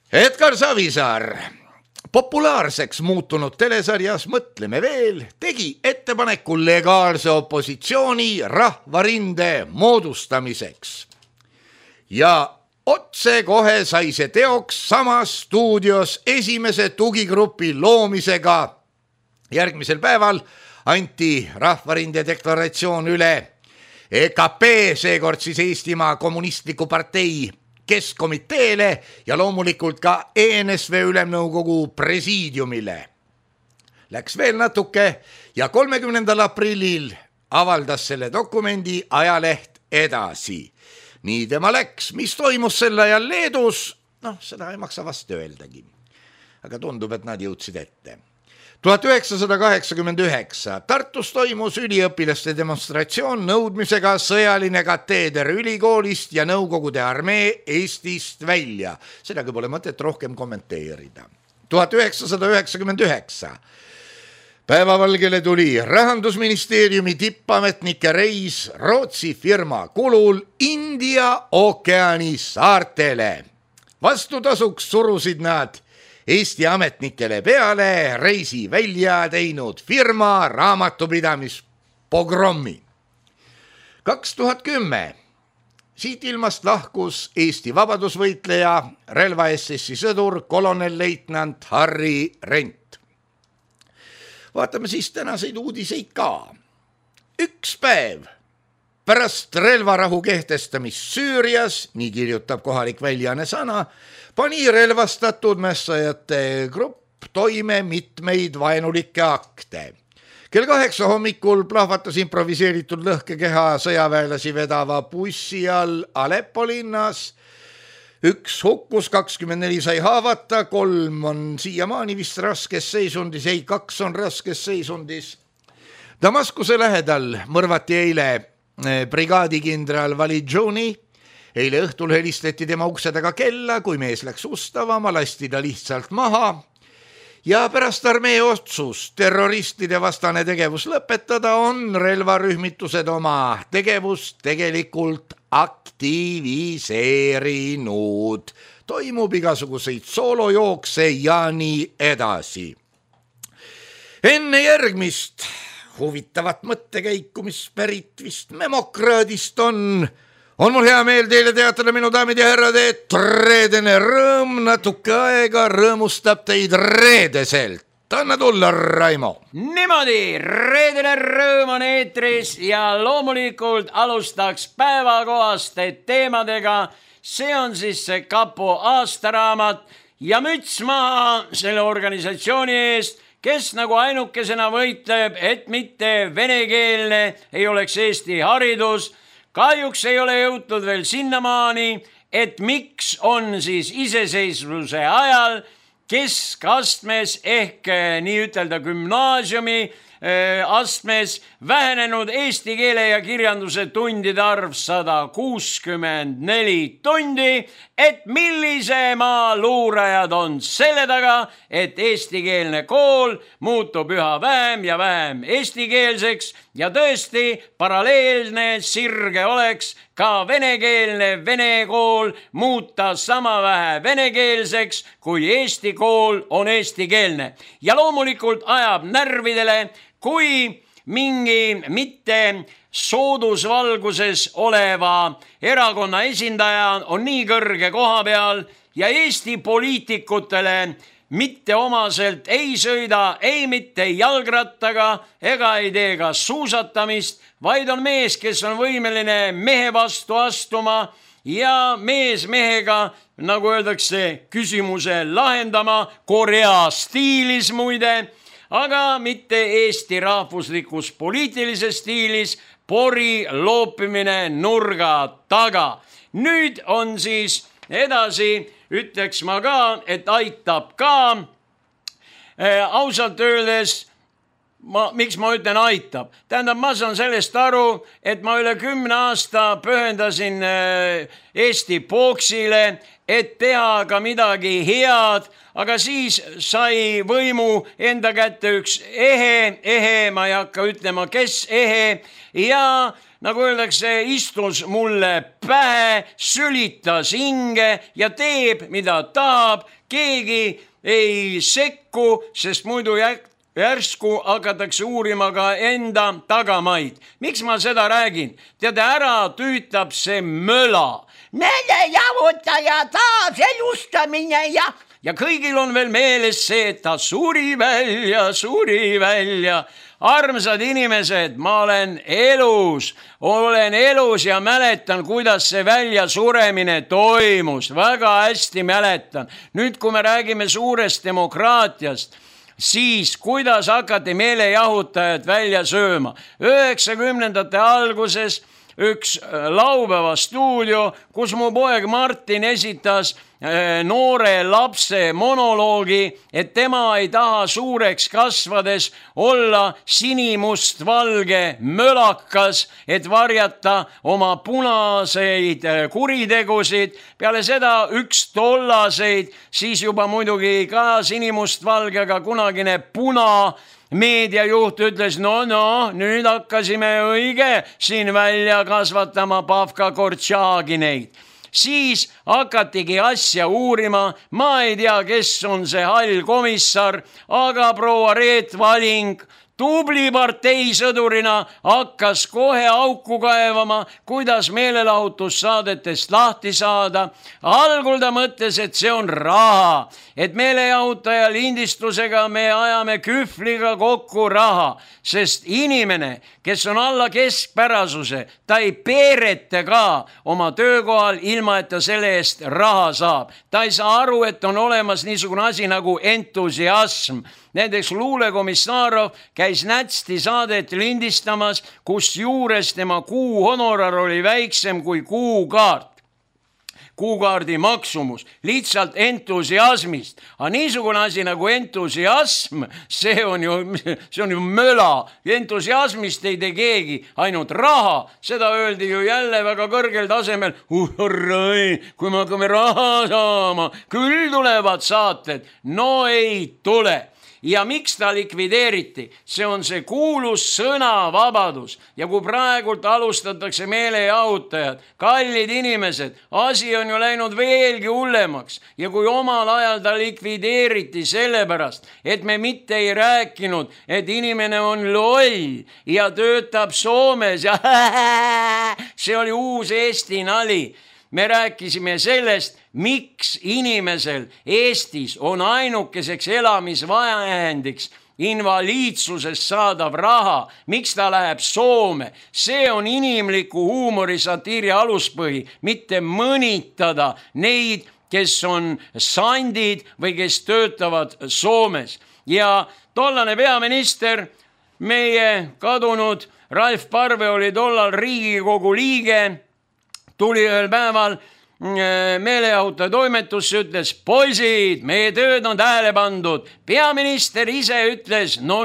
[SPEAKER 3] Edgar Savisaar populaarseks muutunud telesarjas Mõtleme veel tegi ettepaneku legaalse opositsiooni rahvarinde moodustamiseks. Ja otse kohe sai see teoks samas stuudios esimese tugigrupi loomisega. Järgmisel päeval anti rahvarinde deklaratsioon üle EKP, seekord siis Eestimaa kommunistliku partei keskkomiteele ja loomulikult ka ENSV ülemnõukogu presiidiumile. Läks veel natuke ja 30. aprillil avaldas selle dokumendi ajaleht Edasi. Nii tema läks, mis toimus sel ajal Leedus, seda ei maksa vast öeldagi. Aga tundub, et nad jõudsid ette. 1989 Tartus toimus üliõpilaste demonstratsioon nõudmisega sõjaline kateeder ülikoolist ja Nõukogude armee Eestist välja. Sedagi pole mõtet rohkem kommenteerida. 1999 päevavalgele tuli Rahandusministeeriumi tippametnike reis Rootsi firma kulul India ookeani saartele. Vastutasuks surusid nad Eesti ametnikele peale reisi välja teinud firma raamatupidamispogrommi. 2010 siit ilmast lahkus Eesti vabadusvõitleja, relva SS-i sõdur, kolonelleitnant Harri Rent. Vaatame siis tänaseid uudiseid ka. Üks päev pärast relvarahu kehtestamist Süürias, nii kirjutab kohalik väljaanne Sana, pani relvastatud mässajate grupp toime mitmeid vaenulikke akte. Kell 8 hommikul plahvatas improviseeritud lõhkekeha sõjaväelasi vedava bussi all Aleppo linnas. Üks hukkus, 24 sai haavata, 3 on siiamaani vist raskes seisundis, 2 on raskes seisundis. Damaskuse lähedal mõrvati eile brigaadikindral Validžuni. Eile õhtul helistati tema ukse taga kella, kui mees läks ustavama, lasti ta lihtsalt maha. Ja pärast armee otsust terroristide vastane tegevus lõpetada on relvarühmitused oma tegevust tegelikult aktiviseerinud. Toimub igasuguseid soolojookse ja nii edasi. Enne järgmist huvitavat mõttekäiku, mis pärit vist memokraadist on mul hea meel teile teatada, minu daamid ja härrad, et reedene rõõm natuke aega rõõmustab teid reedeselt. Anna tulla, Raimo.
[SPEAKER 4] Niimoodi, reedene rõõm on eetris ja loomulikult alustaks päevakohaste teemadega. See on siis see Kapo aastaraamat ja müts maha selle organisatsiooni eest, kes nagu ainukesena võitleb, et mitte venekeelne ei oleks Eesti haridus. Kahjuks ei ole jõutud veel sinnamaani, et miks on siis iseseisvuse ajal keskastmes ehk nii ütelda gümnaasiumi astmes vähenenud eesti keele ja kirjanduse tundide arv 164 tundi, et millise maa luurajad on selle taga, et eestikeelne kool muutub üha vähem ja vähem eestikeelseks ja tõesti paralleelne sirge oleks ka venekeelne vene kool muuta sama vähe venekeelseks, kui eesti kool on eestikeelne. Ja loomulikult ajab närvidele, kui mingi mitte soodusvalguses oleva erakonna esindaja on nii kõrge koha peal ja Eesti poliitikutele mitte omaselt ei sõida ei mitte jalgrattaga ega ei tee ka suusatamist, vaid on mees, kes on võimeline mehe vastu astuma ja mees mehega, nagu öeldakse, küsimuse lahendama Korea stiilis muide, aga mitte Eesti rahvuslikus poliitilises stiilis, pori loopimine nurga taga. Nüüd on siis edasi, ütleks ma ka, et aitab ka. Ausalt öeldes, miks ma ütlen aitab? Tähendab, ma saan sellest aru, et ma üle 10 aasta pühendasin Eesti boksile, et teha ka midagi head, aga siis sai võimu enda kätte üks ehe, ma ei hakka ütlema, kes ehe, ja nagu öeldakse, istus mulle pähe, sülitas hinge ja teeb, mida tahab, keegi ei sekku, sest muidu järsku hakatakse uurima ka enda tagamaid. Miks ma seda räägin? Tead, ära tüütab see möla. Nende javutaja taas elustamine ja kõigil on veel meeles see, et ta suri välja. Armsad inimesed, ma olen elus ja mäletan, kuidas see väljasuremine toimus. Väga hästi mäletan. Nüüd, kui me räägime suurest demokraatiast, siis kuidas hakati meelejahutajad välja sööma? 90ndate alguses üks laupäeva stuudio, kus mu poeg Martin esitas noore lapse monoloogi, et tema ei taha suureks kasvades olla sinimustvalge mölakas, et varjata oma punaseid kuritegusid. Peale seda üks tollaseid, siis juba muidugi ka sinimustvalge, aga kunagine puna meediajuht ütles, no, nüüd hakkasime õige siin välja kasvatama Pavka Kortšaagineid. Siis hakatigi asja uurima, ma ei tea, kes on see hall komissar, aga proua Reet Valing tubli parteisõdurina hakkas kohe auku kaevama, kuidas meelelahutussaadetest lahti saada. Algul ta mõtles, et see on raha, et meelejahutaja lindistusega me ajame kühvliga kokku raha, sest inimene, kes on alla keskpärasuse, ta ei peerete ka oma töökohal, ilma et ta selle eest raha saab. Ta ei saa aru, et on olemas niisugune asi nagu entusiasm. Näiteks luulekomissarov käis Nätsti saadet lindistamas, kus juures tema kuuhonorar oli väiksem kui kuukaart. Kuukaardi maksumus, lihtsalt entusiasmist. Aga niisugune asi nagu entusiasm, see on ju möla. Entusiasmist ei tee keegi, ainult raha. Seda öeldi ju jälle väga kõrgel tasemel. Kui me hakkame raha saama, küll tulevad saated. No ei tule. Ja miks ta likvideeriti? See on see kuulus sõnavabadus. Ja kui praegult alustatakse meelejahutajad, kallid inimesed, asi on ju läinud veelgi hullemaks. Ja kui omal ajal ta likvideeriti sellepärast, et me mitte ei rääkinud, et inimene on loll ja töötab Soomes ja see oli uus Eesti nali. Me rääkisime sellest, miks inimesel Eestis on ainukeseks elamisvahendiks invaliidsusest saadav raha, miks ta läheb Soome. See on inimliku huumori satiiri aluspõhi, mitte mõnitada neid, kes on sandid või kes töötavad Soomes. Ja tollane peaminister, meie kadunud Ralf Parve oli tollal Riigikogu liige, tuli ühel päeval meelejahutaja toimetusse, ütles, poisid, meie tööd on tähele pandud. Peaminister ise ütles, no,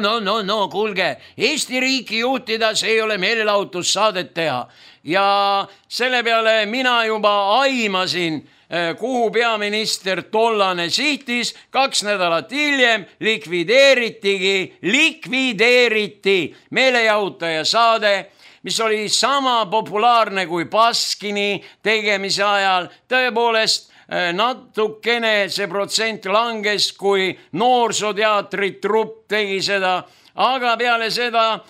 [SPEAKER 4] kuulge, Eesti riiki juhtida, see ei ole meelelahutussaadet teha. Ja selle peale mina juba aimasin, kuhu peaminister tollane sihtis. 2 nädalat hiljem likvideeriti meelejahutaja saade, mis oli sama populaarne kui Baskini tegemise ajal. Tõepoolest, natukene see protsent langes, kui noorsooteatri trupp tegi seda. Aga peale seda,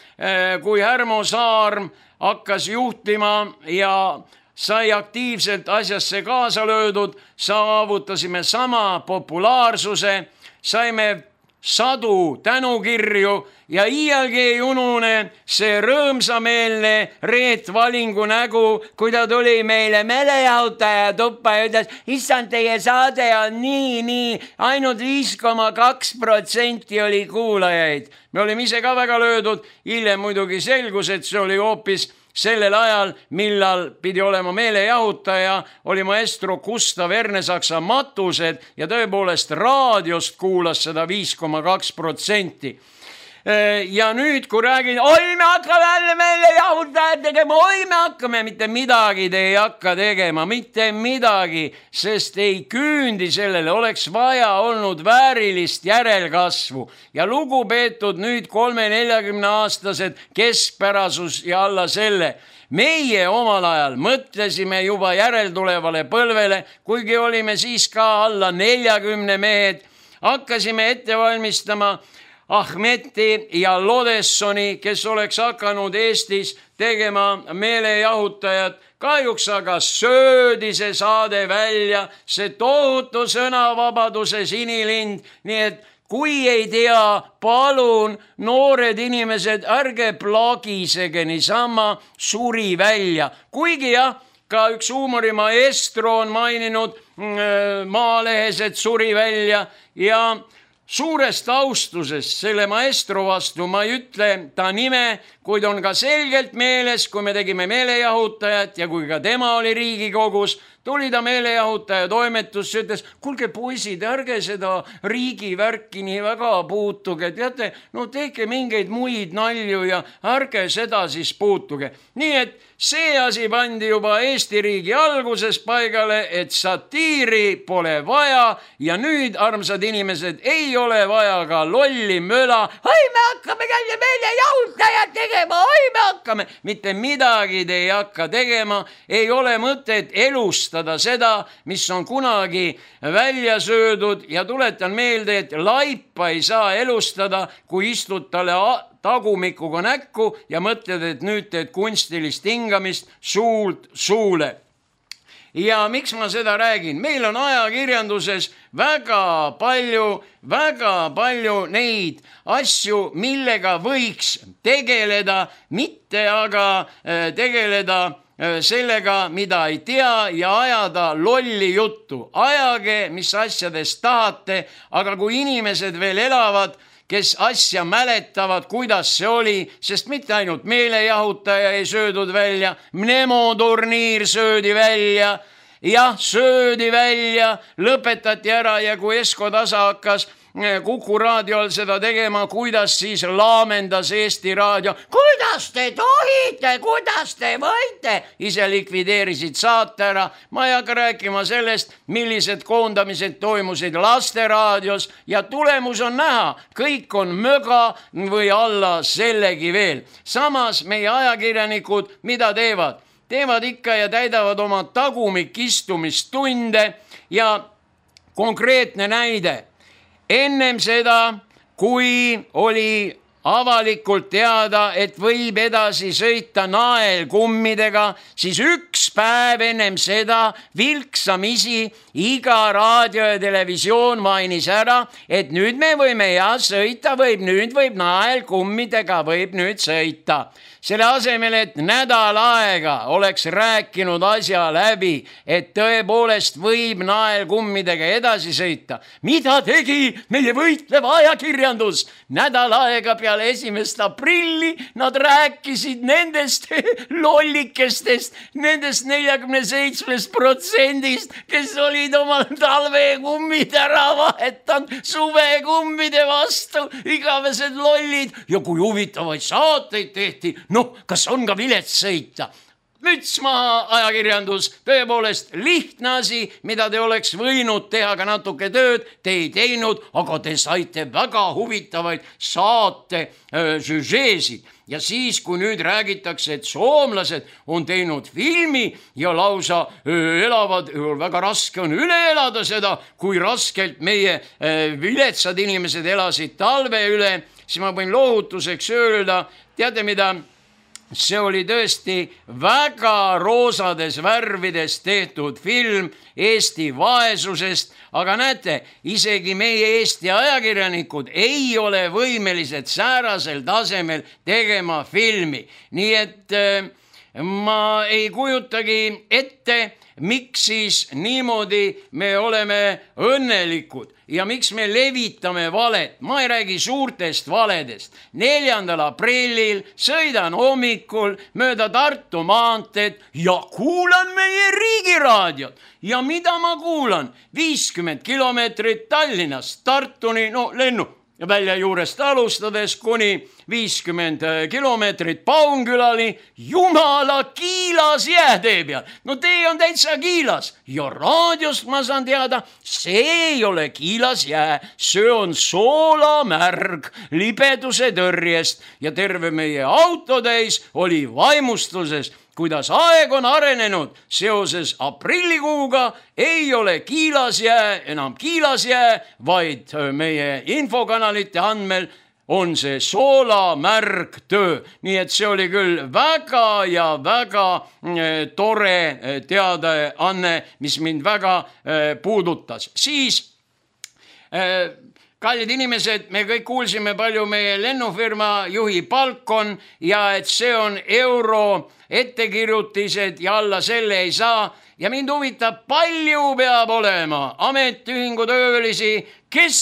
[SPEAKER 4] kui Härmo Saarm hakkas juhtima ja sai aktiivselt asjasse kaasa löödud, saavutasime sama populaarsuse, saime sadu tänukirju ja iialgi ei unune see rõõmsameelne Reet Valingu nägu, kui ta tuli meile meelejahutaja tuppa ja ütles, issand, teie saade on nii, ainult 5,2% oli kuulajaid. Me olime ise ka väga löödud, hiljem muidugi selgus, et see oli hoopis sellel ajal, millal pidi olema meelejahutaja, oli maestro Gustav Ernesaksa Matused ja tõepoolest raadiost kuulas seda 5,2%. Ja nüüd, kui räägin, oi, me hakkame jälle meelejahutajad tegema, oi, me hakkame, mitte midagi te ei hakka tegema, mitte midagi, sest ei küündi sellele, oleks vaja olnud väärilist järelkasvu ja lugupeetud nüüd 3-40-aastased keskpärasus ja alla selle. Meie omal ajal mõtlesime juba järeltulevale põlvele, kuigi olime siis ka alla 40 mehed, hakkasime ette valmistama Ahmeti ja Lodessoni, kes oleks hakanud Eestis tegema meelejahutajad. Kahjuks aga söödi see saade välja, see tohutu sõnavabaduse sinilind, nii et kui ei tea, palun, noored inimesed, ärge plagisege niisama, suri välja. Kuigi jah, ka üks huumorimaestro on maininud Maalehes, et suri välja ja suurest austusest selle maestro vastu ma ei ütle ta nime, kuid on ka selgelt meeles, kui me tegime meelejahutajat ja kui ka tema oli Riigikogus, tuli ta meelejahutaja toimetusse, ütles, kuulge poisid, ärge seda riigivärki nii väga puutuge, teate, no tehke mingeid muid nalju ja ärge seda siis puutuge. Nii et see asi pandi juba Eesti riigi alguses paigale, et satiiri pole vaja ja nüüd, armsad inimesed, ei ole vaja ka lolli möla. Oi, me hakkame jälle meelejahutajat tegema, oi, me hakkame. Mitte midagi te ei hakka tegema, ei ole mõtet elustada seda, mis on kunagi välja söödud ja tuletan meelde, et laipa ei saa elustada, kui istud talle tagumikuga näkku ja mõtled, et nüüd teed kunstilist hingamist suult suule. Ja miks ma seda räägin? Meil on ajakirjanduses väga palju neid asju, millega võiks tegeleda, mitte aga tegeleda sellega, mida ei tea ja ajada lolli juttu. Ajage, mis asjadest tahate, aga kui inimesed veel elavad, kes asja mäletavad, kuidas see oli, sest mitte ainult meelejahutaja ei söödud välja, Nemo turniir söödi välja, jah, söödi välja, lõpetati ära ja kui Esko Tasa hakkas Kuku raadiol seda tegema, kuidas siis laamendas Eesti Raadio. Kuidas te tohite, kuidas te võite? Ise likvideerisid saate ära. Ma ei hakka rääkima sellest, millised koondamised toimusid Lasteraadios ja tulemus on näha. Kõik on möga või alla sellegi veel. Samas meie ajakirjanikud, mida teevad? Teevad ikka ja täidavad oma tagumikistumistunde ja konkreetne näide. Ennem seda, kui oli avalikult teada, et võib edasi sõita naelkummidega, siis üks päev ennem seda vilksamisi iga raadio ja televisioon mainis ära, et nüüd me võime sõita, nüüd võib naelkummidega, võib nüüd sõita. Selle asemel, et nädal aega oleks rääkinud asja läbi, et tõepoolest võib naelkummidega edasi sõita. Mida tegi meie võitlev ajakirjandus? Nädal aega peale 1. aprilli nad rääkisid nendest lollikestest, nendest 47%, kes olid oma talvekummid ära vahetanud suvekummide vastu, igavesed lollid ja kui huvitavaid saateid tehti. No, kas on ka vilets sõita? Müts maha ajakirjandus, tõepoolest lihtne asi, mida te oleks võinud teha ka natuke tööd, te ei teinud, aga te saite väga huvitavaid saate süžeesid. Ja siis, kui nüüd räägitakse, et soomlased on teinud filmi ja lausa elavad, väga raske on üle elada seda, kui raskelt meie viletsad inimesed elasid talve üle, siis ma võin lohutuseks öelda, teate mida? See oli tõesti väga roosades värvides tehtud film Eesti vaesusest, aga näete, isegi meie Eesti ajakirjanikud ei ole võimelised säärasel tasemel tegema filmi. Nii et ma ei kujutagi ette, miks siis niimoodi me oleme õnnelikud ja miks me levitame valet. Ma ei räägi suurtest valedest. 4. aprillil sõidan hommikul mööda Tartu maanteed ja kuulan meie riigiraadiot. Ja mida ma kuulan? 50 kilomeetrit Tallinnast Tartuni, no lennu välja juurest alustades kuni 50 kilomeetrit Paunkülani, jumala kiilas jäätee peal. No tee on täitsa kiilas ja raadiost ma saan teada, see ei ole kiilas jää, see on soolamärg libeduse tõrjest ja terve meie autotäis oli vaimustuses, kuidas aeg on arenenud seoses aprillikuuga, ei ole kiilasjää enam kiilasjää, vaid meie infokanalite andmel on see soolamärg töö. Nii et see oli küll väga ja väga tore teadaanne, mis mind väga puudutas. Siis kallid inimesed, me kõik kuulsime palju meie lennufirma juhi palk on ja et see on ettekirjutised ja alla selle ei saa. Ja mind huvitab, palju peab olema ametiühingutöölisi, kes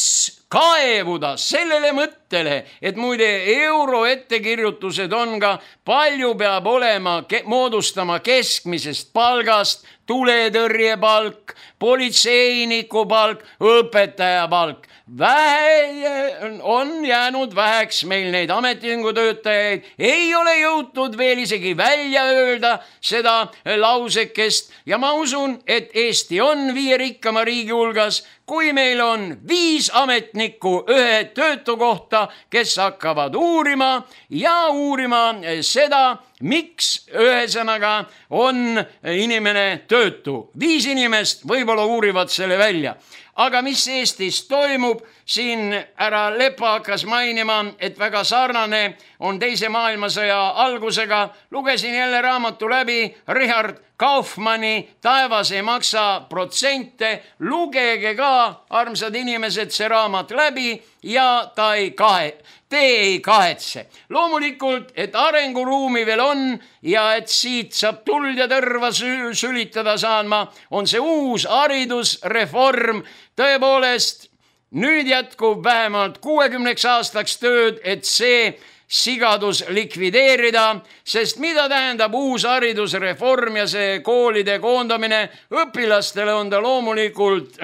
[SPEAKER 4] kaevuda sellele mõttele, et muide euro ettekirjutused on ka, palju peab olema moodustama keskmisest palgast, tuletõrjepalk, politseiniku palk, õpetaja palk. Vähe on jäänud väheks meil neid ametiühingutöötajaid, ei ole jõutud veel isegi välja öelda seda lausekest ja ma usun, et Eesti on 5 rikkama riigi hulgas, kui meil on 5 ametnikku ühe töötu kohta, kes hakkavad uurima seda, miks ühesõnaga on inimene töötu. 5 inimest võib-olla uurivad selle välja. Aga mis Eestis toimub, siin härra Lepa hakkas mainima, et väga sarnane on teise maailmasõja algusega. Lugesin jälle raamatu läbi Richard Kaufmanni Taevas ei maksa protsente. Lugege ka, armsad inimesed, see raamat läbi ja te ei kahetse. Loomulikult, et arenguruumi veel on ja et siit saab tuld ja tõrva sülitada saama, on see uus haridusreform. Tõepoolest, nüüd jätkub vähemalt 60 aastaks tööd, et see sigadus likvideerida, sest mida tähendab uus haridusreform ja see koolide koondamine? Õpilastele on ta loomulikult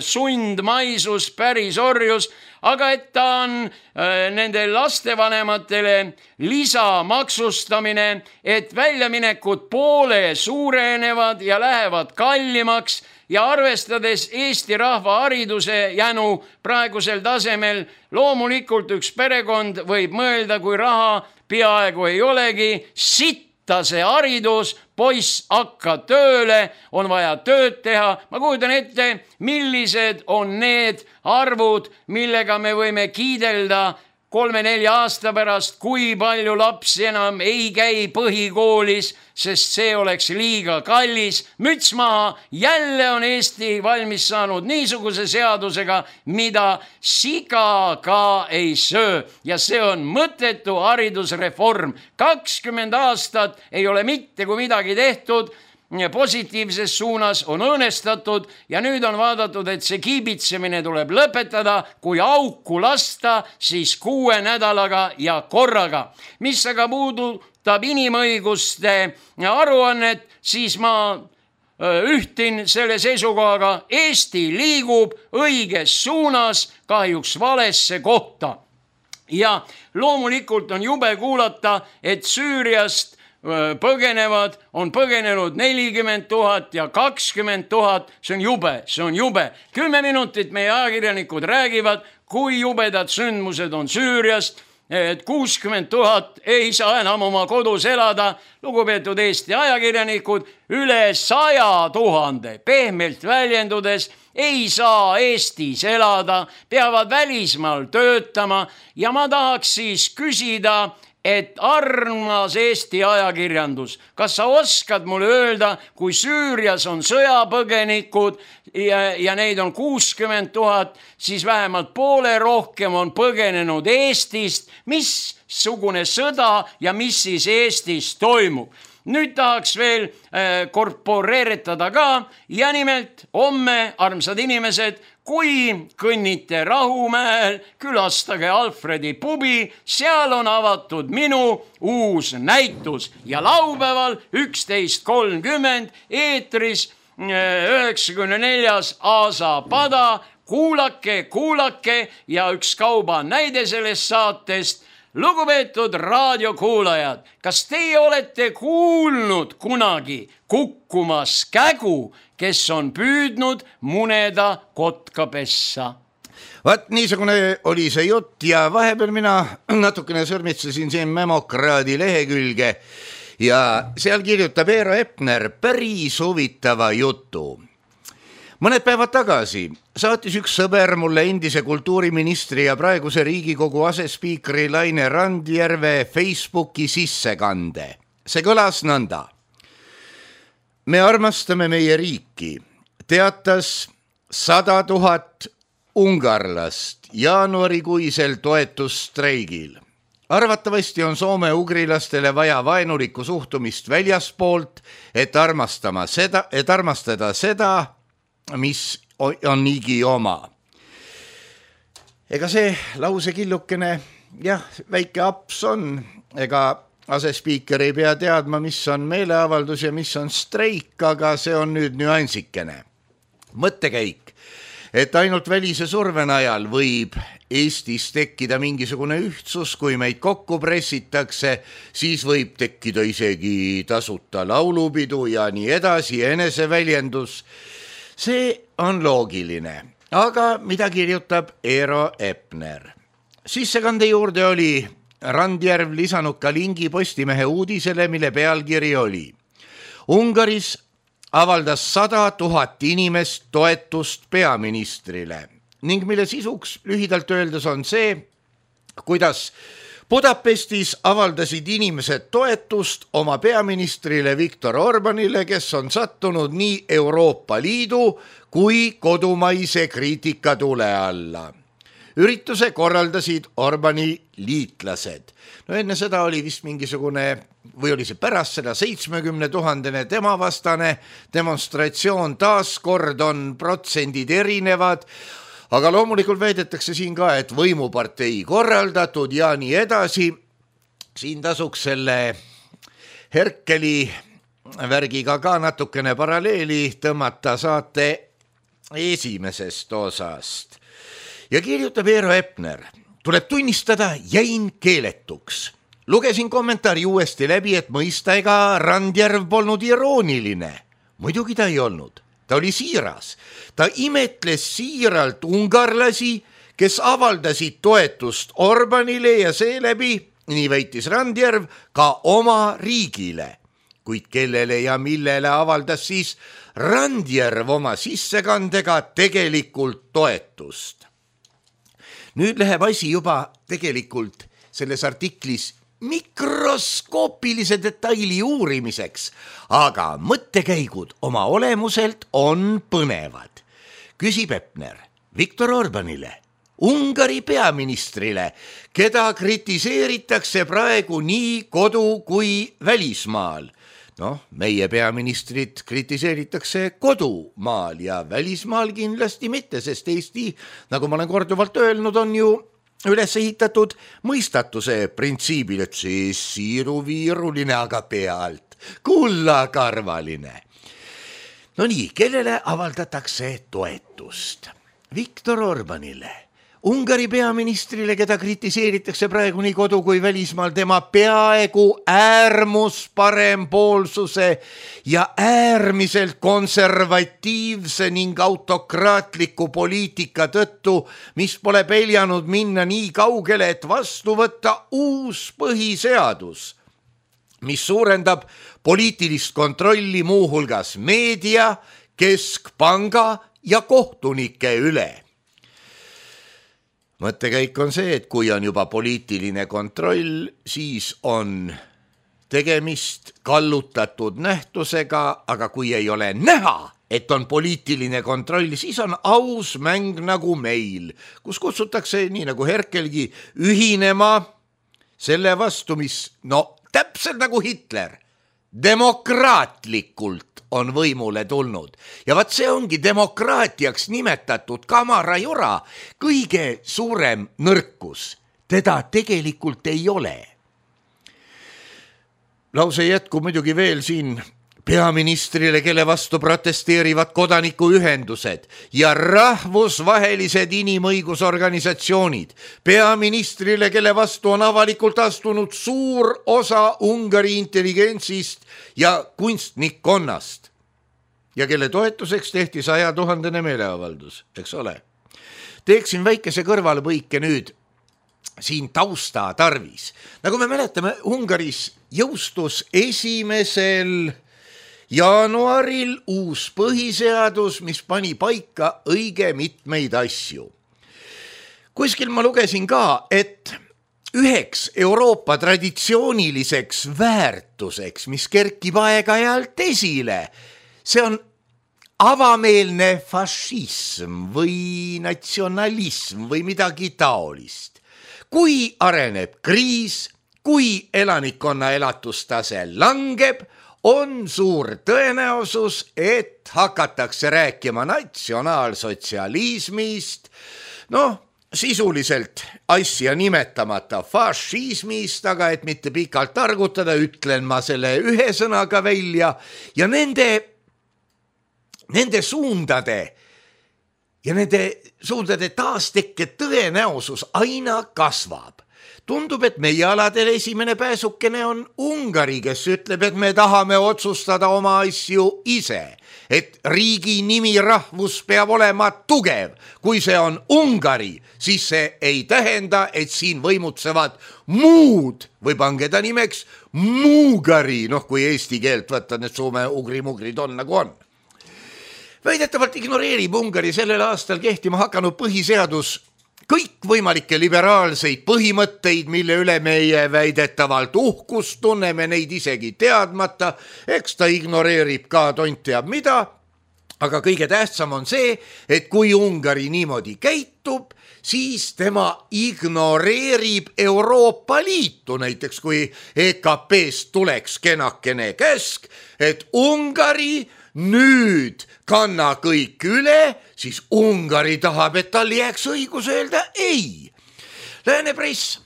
[SPEAKER 4] sundmaisus, pärisorjus, aga et ta on nende lastevanematele lisamaksustamine, et väljaminekud poole suurenevad ja lähevad kallimaks. Ja arvestades Eesti rahva hariduse jänu praegusel tasemel, loomulikult üks perekond võib mõelda, kui raha peaaegu ei olegi, sitta see haridus, poiss hakka tööle, on vaja tööd teha. Ma kujutan ette, millised on need arvud, millega me võime kiidelda 3-4 aasta pärast, kui palju lapsi enam ei käi põhikoolis, sest see oleks liiga kallis. Müts maha, jälle on Eesti valmis saanud niisuguse seadusega, mida siga ka ei söö. Ja see on mõttetu haridusreform. 20 aastat ei ole mitte kui midagi tehtud, positiivses suunas on õõnestatud ja nüüd on vaadatud, et see kiibitsemine tuleb lõpetada, kui auku lasta, siis 6 nädalaga ja korraga. Mis aga puudutab inimõiguste aruannet, siis ma ühtin selle seisukohaga, Eesti liigub õiges suunas, kahjuks valesse kohta. Ja loomulikult on jube kuulata, et Süüriast on põgenenud 40 000 ja 20 000, see on jube. 10 minutit meie ajakirjanikud räägivad, kui jubedad sündmused on Süüriast, et 60 000 ei saa enam oma kodus elada. Lugupeetud Eesti ajakirjanikud, üle 100 000 pehmelt väljendudes ei saa Eestis elada, peavad välismaal töötama ja ma tahaks siis küsida, et armas Eesti ajakirjandus, kas sa oskad mulle öelda, kui Süürias on sõjapõgenikud ja neid on 60 000, siis vähemalt poole rohkem on põgenenud Eestist, missugune sõda ja mis siis Eestis toimub. Nüüd tahaks veel korporeeritada ka ja nimelt homme, armsad inimesed, kui kõnnite Rahumäel, külastage Alfredi pubi, seal on avatud minu uus näitus ja laupäeval 11:30 eetris 94. Aasa pada, kuulake ja üks kauba näide sellest saatest. Lugupeetud raadiokuulajad, kas teie olete kuulnud kunagi kukkumas kägu, kes on püüdnud muneda kotkapessa?
[SPEAKER 3] Vaat niisugune oli see jutt ja vahepeal mina natukene sõrmitsesin siin Memokraadi lehekülge ja seal kirjutab Eero Epner päris huvitava jutu. Mõned päevad tagasi saatis üks sõber mulle endise kultuuriministri ja praeguse Riigikogu asespiikri Laine Randjärve Facebooki sissekande. See kõlas nõnda. Me armastame meie riiki, teatas 100 000 ungarlast jaanuarikuisel toetusstreigil. Arvatavasti on Soome ugrilastele vaja vaenulikku suhtumist väljaspoolt, et armastada seda, mis on niigi oma. Ega see lausekillukene, jah, väike aps on, ega asespiiker ei pea teadma, mis on meeleavaldus ja mis on streik, aga see on nüüd nüansikene. Mõttekäik, et ainult välise surve najal võib Eestis tekkida mingisugune ühtsus, kui meid kokku pressitakse, siis võib tekkida isegi tasuta laulupidu ja nii edasi, eneseväljendus. See on loogiline, aga mida kirjutab Eero Epner? Sissekande juurde oli Randjärv lisanud ka lingi Postimehe uudisele, mille pealkiri oli: Ungaris avaldas 100 000 inimest toetust peaministrile ning mille sisuks lühidalt öeldes on see, kuidas Budapestis avaldasid inimesed toetust oma peaministrile Viktor Orbanile, kes on sattunud nii Euroopa Liidu kui kodumaise kriitika tule alla. Ürituse korraldasid Orbani liitlased. No enne seda oli vist mingisugune, või oli see pärast seda 70 000 tema vastane demonstratsioon, taaskord on protsendid erinevad, aga loomulikult väidetakse siin ka, et võimupartei korraldatud ja nii edasi. Siin tasuks selle Herkeli värgiga ka natukene paralleeli tõmmata saate esimesest osast. Ja kirjutab Eero Epner: tuleb tunnistada, jäin keeletuks. Lugesin kommentaari uuesti läbi, et mõista, ega Randjärv polnud irooniline. Muidugi ta ei olnud. Ta oli siiras. Ta imetles siiralt ungarlasi, kes avaldasid toetust Orbanile ja seeläbi, nii väitis Randjärv, ka oma riigile. Kuid kellele ja millele avaldas siis Randjärv oma sissekandega tegelikult toetust? Nüüd läheb asi juba tegelikult selles artiklis mikroskoopilise detaili uurimiseks, aga mõttekäigud oma olemuselt on põnevad. Küsib Epner Viktor Orbanile, Ungari peaministrile, keda kritiseeritakse praegu nii kodu kui välismaal. Meie peaministrit kritiseeritakse kodumaal ja välismaal kindlasti mitte, sest Eesti, nagu ma olen korduvalt öelnud, on ju üles ehitatud mõistatuse printsiibil, et see siiruviiruline, aga pealt kullakarvaline. No nii, kellele avaldatakse toetust? Viktor Orbanile, Ungari peaministrile, keda kritiseeritakse praegu nii kodu kui välismaal tema peaaegu äärmusparempoolsuse ja äärmiselt konservatiivse ning autokraatliku poliitika tõttu, mis pole peljanud minna nii kaugele, et vastu võtta uus põhiseadus, mis suurendab poliitilist kontrolli muuhulgas meedia, keskpanga ja kohtunike üle. Mõttekäik on see, et kui on juba poliitiline kontroll, siis on tegemist kallutatud nähtusega, aga kui ei ole näha, et on poliitiline kontroll, siis on aus mäng nagu meil, kus kutsutakse, nii nagu Herkelgi, ühinema selle vastu, mis, täpselt nagu Hitler, demokraatlikult on võimule tulnud. Ja vaat see ongi demokraatiaks nimetatud kamarajura kõige suurem nõrkus. Teda tegelikult ei ole. Lause jätku muidugi veel siin peaministrile, kelle vastu protesteerivad kodanikuühendused ja rahvusvahelised inimõigusorganisatsioonid. Peaministrile, kelle vastu on avalikult astunud suur osa Ungari intelligentsist ja kunstnikkonnast ja kelle toetuseks tehti 100 000 meeleavaldus, eks ole. Teeksin väikese kõrvalepõike nüüd siin tausta tarvis. Nagu me mäletame, Ungaris jõustus 1. jaanuaril uus põhiseadus, mis pani paika õige mitmeid asju. Kuskil ma lugesin ka, et üheks Euroopa traditsiooniliseks väärtuseks, mis kerkib aeg-ajalt esile, see on avameelne fašism või natsionalism või midagi taolist. kui areneb kriis, kui elanikkonna elatustase langeb, on suur tõenäosus, et hakatakse rääkima natsionaalsotsialismist, sisuliselt asja nimetamata fašismist, aga et mitte pikalt targutada, ütlen ma selle ühe sõnaga välja ja nende suundade ja nende suundade taastekke tõenäosus aina kasvab. Tundub, et meie aladel esimene pääsukene on Ungari, kes ütleb, et me tahame otsustada oma asju ise, et riigi nimi rahvus peab olema tugev. Kui see on Ungari, siis see ei tähenda, et siin võimutsevad muud või pange ta nimeks Muugari, kui eesti keelt võtta, need soome ugri-mugrid on nagu on. Väidetavalt ignoreerib Ungari sellel aastal kehtima hakanud põhiseadus kõikvõimalikke liberaalseid põhimõtteid, mille üle meie väidetavalt uhkust tunneme, neid isegi teadmata, eks ta ignoreerib ka tont teab mida, aga kõige tähtsam on see, et kui Ungari niimoodi käitub, siis tema ignoreerib Euroopa Liitu, näiteks kui EKP-st tuleks kenakene käsk, et Ungari nüüd kanna kõik üle, siis Ungari tahab, et tal jääks õigus öelda ei. Lääne press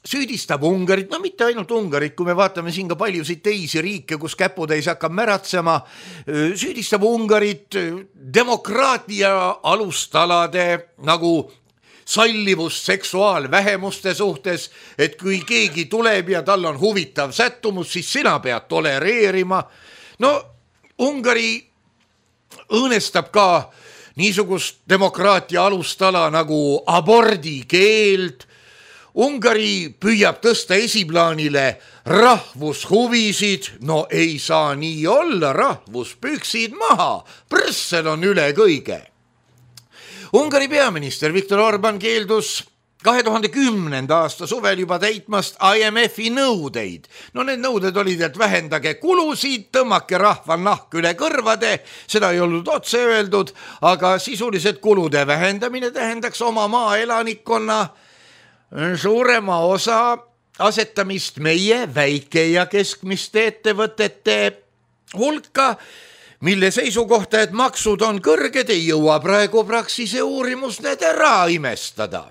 [SPEAKER 3] süüdistab Ungarit, mitte ainult Ungarit, kui me vaatame siin ka paljusid teisi riike, kus käputäis hakkab märatsema, süüdistab Ungarit demokraatia alustalade nagu sallivus seksuaalvähemuste suhtes, et kui keegi tuleb ja tal on huvitav sättumus, siis sina pead tolereerima. Ungari õõnestab ka niisugust demokraatia alustala nagu abordikeeld. Ungari püüab tõsta esiplaanile rahvushuvisid, ei saa nii olla, rahvuspüksid maha, Brüssel on üle kõige. Ungari peaminister Viktor Orban keeldus 2010. aasta suvel juba täitmast IMF-i nõudeid. Need nõuded olid, et vähendage kulusid, tõmmake rahva nahk üle kõrvade, seda ei olnud otse öeldud, aga sisuliselt kulude vähendamine tähendaks oma maaelanikkonna suurema osa asetamist meie väike ja keskmiste ettevõtete hulka, mille seisukohta, et maksud on kõrged, ei jõua praegu Praxise uurimus need ära imestada.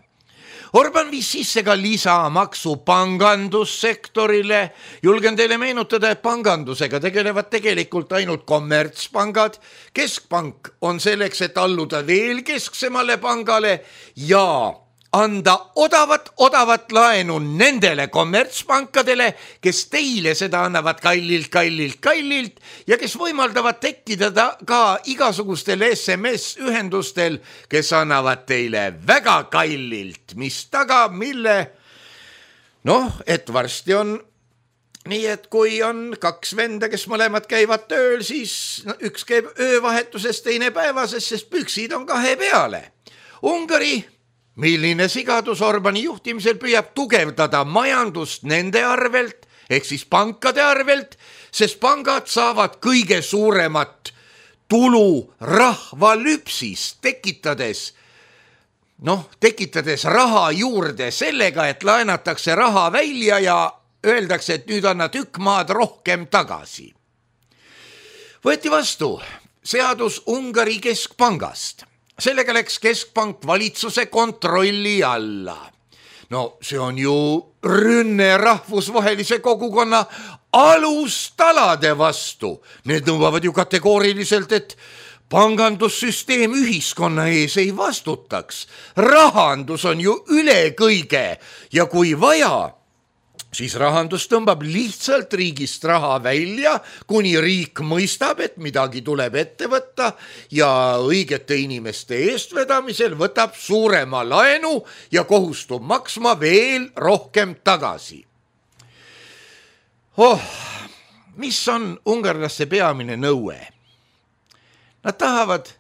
[SPEAKER 3] Orban viis sisse ka lisamaksu pangandussektorile. Julgen teile meenutada, et pangandusega tegelevad tegelikult ainult kommertspangad. Keskpank on selleks, et alluda veel kesksemale pangale ja anda odavat laenu nendele kommertspankadele, kes teile seda annavad kallilt ja kes võimaldavad tekkida ka igasugustel SMS-ühendustel, kes annavad teile väga kallilt, mis tagab mille, et varsti on nii, et kui on kaks venda, kes mõlemad käivad tööl, siis üks käib öövahetuses, teine päevases, sest püksid on kahe peale. Ungari, milline sigadus Orbani juhtimisel püüab tugevdada majandust nende arvelt, ehk siis pankade arvelt, sest pangad saavad kõige suuremat tulu rahvalüpsist, tekitades raha juurde sellega, et laenatakse raha välja ja öeldakse, et nüüd anna tükk maad rohkem tagasi. Võeti vastu seadus Ungari keskpangast. Sellega läks keskpank valitsuse kontrolli alla. See on ju rünne rahvusvahelise kogukonna alustalade vastu. Need nõuavad ju kategooriliselt, et pangandussüsteem ühiskonna ees ei vastutaks. Rahandus on ju üle kõige ja kui vaja, siis rahandus tõmbab lihtsalt riigist raha välja, kuni riik mõistab, et midagi tuleb ette võtta ja õigete inimeste eestvedamisel võtab suurema laenu ja kohustub maksma veel rohkem tagasi. Mis on ungarlaste peamine nõue? Nad tahavad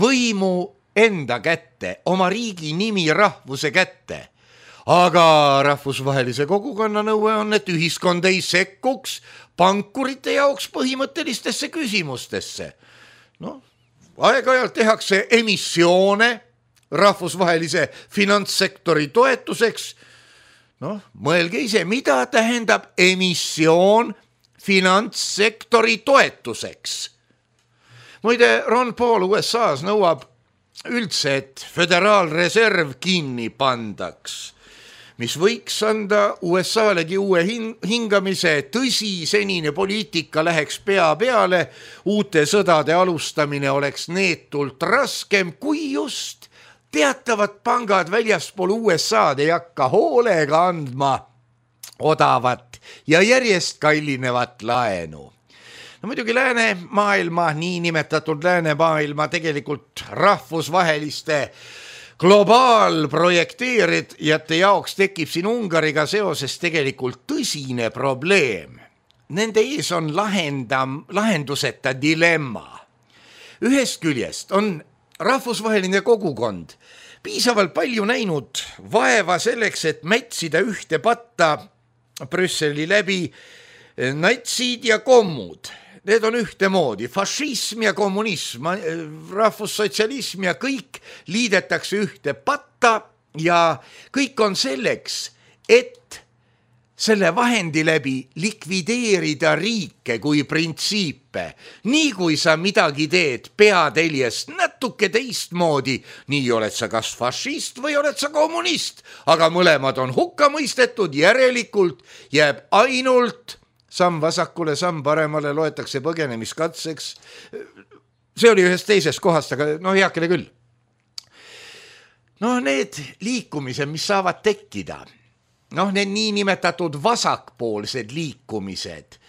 [SPEAKER 3] võimu enda kätte, oma riigi nimi rahvuse kätte. Aga rahvusvahelise kogukonna nõue on, et ühiskond ei sekkuks pankurite jaoks põhimõttelistesse küsimustesse. Aeg-ajalt tehakse emissioone, rahvusvahelise finantssektori toetuseks. Noh, mõelge ise, mida tähendab emissioon finantssektori toetuseks. Muide, Ron Paul USA-s nõuab üldse, et föderaalreserv kinni pandaks, mis võiks anda USA-legi uue hingamise. Tõsi, senine poliitika läheks pea peale, uute sõdade alustamine oleks neetult raskem, kui just teatavad pangad väljaspool USA-d ei hakka hoolega andma odavat ja järjest kallinevat laenu. No muidugi läänemaailma, niinimetatud läänemaailma tegelikult rahvusvaheliste globaalprojekteerijate jaoks tekib siin Ungariga seoses tegelikult tõsine probleem. Nende ees on lahenduseta dilemma. Ühest küljest on rahvusvaheline kogukond piisavalt palju näinud vaeva selleks, et mätsida ühte patta Brüsseli läbi natsid ja kommud. Need on ühtemoodi, fašism ja kommunism, rahvussotsialism ja kõik liidetakse ühte patta ja kõik on selleks, et selle vahendi läbi likvideerida riike kui printsiipe. Nii kui sa midagi teed peateljest natuke teistmoodi, nii oled sa kas fašist või oled sa kommunist, aga mõlemad on hukka mõistetud, järelikult jääb ainult samm vasakule, samm paremale, loetakse põgenemiskatseks. See oli ühest teisest kohast, aga heakene küll. Need liikumised, mis saavad tekkida, need niinimetatud vasakpoolsed liikumised.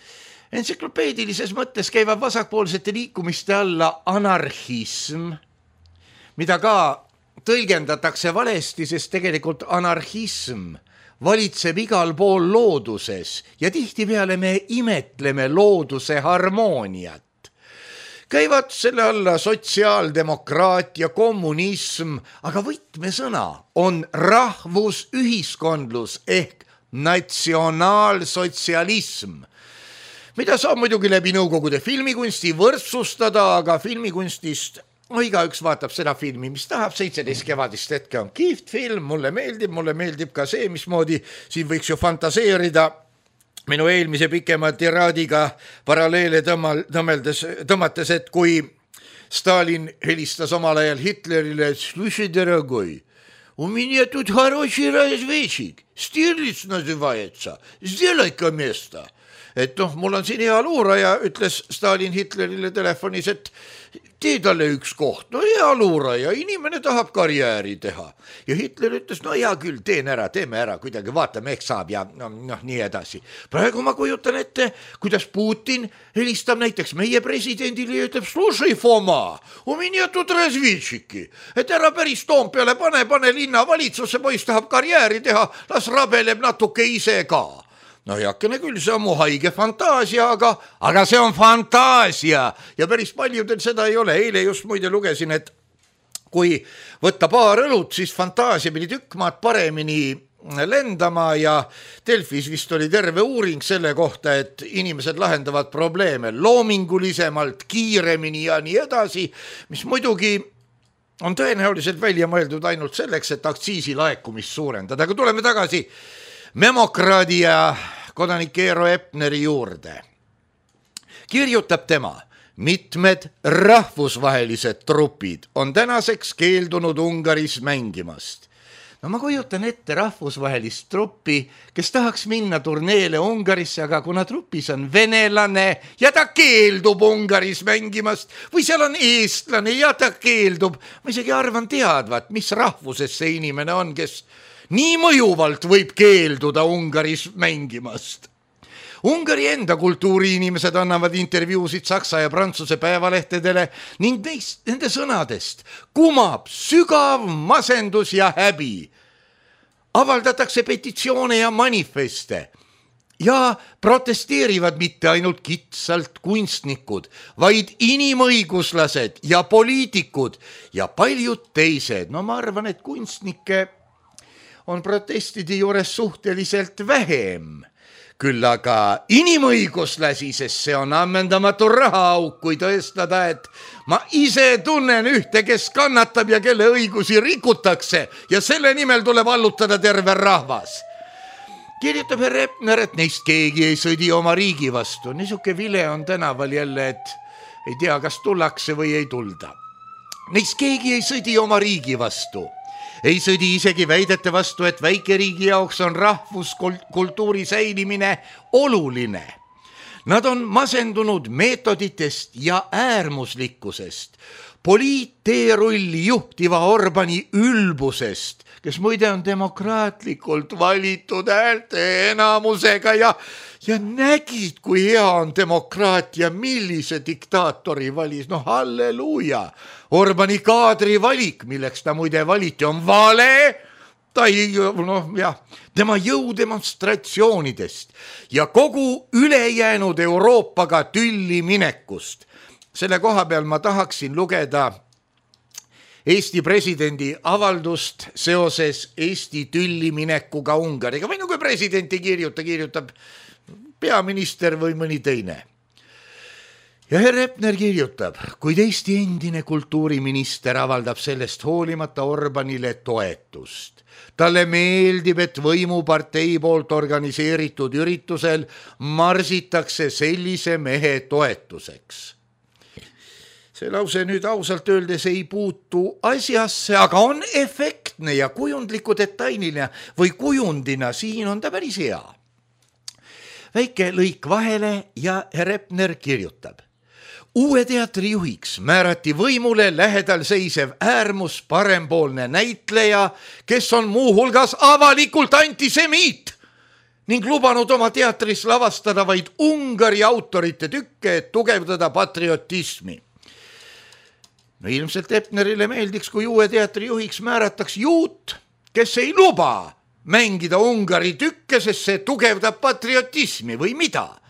[SPEAKER 3] Entsüklopeedilises mõttes käivad vasakpoolsete liikumiste alla anarhism, mida ka tõlgendatakse valesti, sest tegelikult anarhism valitseb igal pool looduses ja tihtipeale me imetleme looduse harmooniat. Käivad selle alla sotsiaaldemokraatia, kommunism, aga võtmesõna on rahvusühiskondlus ehk natsionaalsotsialism, mida saab muidugi läbi Nõukogude filmikunsti võrdsustada, aga filmikunstist igaüks vaatab seda filmi, mis tahab. 17 kevadist hetke on kihvt film, mulle meeldib ka see, mismoodi siin võiks ju fantaseerida minu eelmise pikema tiraadiga paralleele tõmmates, et kui Stalin helistas omal ajal Hitlerile, слушай, дорогой, у меня тут хороший разведчик, Stirlitz называется, сделай-ка место. Et mul on siin hea luuraja, ütles Stalin Hitlerile telefonis, et tee talle üks koht. Hea luuraja, inimene tahab karjääri teha. Ja Hitler ütles, hea küll, teeme ära, kuidagi vaatame, ehk saab ja nii edasi. Praegu ma kujutan ette, kuidas Putin helistab näiteks meie presidendile ja ütleb, слушай, Foma, у меня тут разведчики. Et ära päris Toompeale pane linna valitsusse, poiss tahab karjääri teha, las rabeleb natuke ise ka. Heakene küll, see on mu haige fantaasia, aga see on fantaasia ja päris paljudel seda ei ole. Eile just muide lugesin, et kui võtta paar õlut, siis fantaasia pidi tükk maad paremini lendama ja Delfis vist oli terve uuring selle kohta, et inimesed lahendavad probleeme loomingulisemalt, kiiremini ja nii edasi, mis muidugi on tõenäoliselt välja mõeldud ainult selleks, et aktsiisi laekumist suurendada. Aga tuleme tagasi memokraadi ja kodanik Eero Epneri juurde. Kirjutab tema, mitmed rahvusvahelised trupid on tänaseks keeldunud Ungaris mängimast. Ma kujutan ette rahvusvahelist truppi, kes tahaks minna turneele Ungarisse, aga kuna trupis on venelane ja ta keeldub Ungaris mängimast või seal on eestlane ja ta keeldub, ma isegi arvan teadvat, mis rahvuses see inimene on, kes nii mõjuvalt võib keelduda Ungaris mängimast. Ungari enda kultuuriinimesed annavad intervjuusid Saksa ja Prantsuse päevalehtedele ning nende sõnadest kumab sügav masendus ja häbi. Avaldatakse petitsioone ja manifeste ja protesteerivad mitte ainult kitsalt kunstnikud, vaid inimõiguslased ja poliitikud ja paljud teised. Ma arvan, et kunstnikke on protestide juures suhteliselt vähem. küll aga inimõiguslasi, sest see on ammendamatu rahaauk, kui tõestada, et ma ise tunnen ühte, kes kannatab ja kelle õigusi rikutakse ja selle nimel tuleb allutada terve rahvas. Kirjutab härra Epner, et neist keegi ei sõdi oma riigi vastu. Niisuke vile on tänaval jälle, et ei tea, kas tullakse või ei tulda. Neist keegi ei sõdi oma riigi vastu. Ei sõdi isegi väidete vastu, et väikeriigi jaoks on rahvuskultuuri säilimine oluline. Nad on masendunud meetoditest ja äärmuslikkusest, poliitteerulli juhtiva Orbani ülbusest, kes muide on demokraatlikult valitud häälte enamusega ja nägid, kui hea on demokraatia, millise diktaatori valis, no halleluuja. Orbani kaadri valik, milleks ta muide valiti, on vale, tema jõudemonstratsioonidest ja kogu ülejäänud Euroopaga tülli minekust. Selle koha peal ma tahaksin lugeda Eesti presidendi avaldust seoses Eesti tülli minekuga Ungariga. Või kui president ei kirjutab peaminister või mõni teine. Ja härra Epner kirjutab, kuid Eesti endine kultuuriminister avaldab sellest hoolimata Orbanile toetust. Talle meeldib, et võimupartei poolt organiseeritud üritusel marsitakse sellise mehe toetuseks. See lause nüüd ausalt öeldes ei puutu asjasse, aga on efektne ja kujundliku detailina või kujundina siin on ta päris hea. Väike lõik vahele ja härra Epner kirjutab. Uue teatri juhiks määrati võimule lähedal seisev äärmus parempoolne näitleja, kes on muuhulgas avalikult antisemiit ning lubanud oma teatris lavastada vaid Ungari autorite tükke, et tugevdada patriotismi. No ilmselt Epnerile meeldiks, kui uue teatri juhiks määrataks juut, kes ei luba mängida Ungari tükke, sest see tugevdab patriotismi või mida.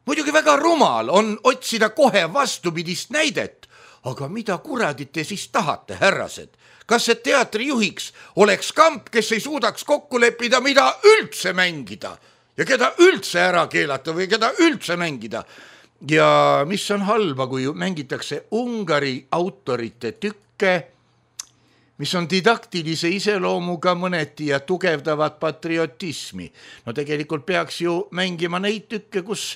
[SPEAKER 3] Muidugi väga rumal on otsida kohe vastupidist näidet, aga mida kuradit te siis tahate, härrased? Kas see teatri juhiks oleks kamp, kes ei suudaks kokku leppida, mida üldse mängida ja keda üldse ära keelata või keda üldse mängida? Ja mis on halba, kui mängitakse Ungari autorite tükke, mis on didaktilise iseloomuga mõneti ja tugevdavad patriotismi. No tegelikult peaks ju mängima neid tükke, kus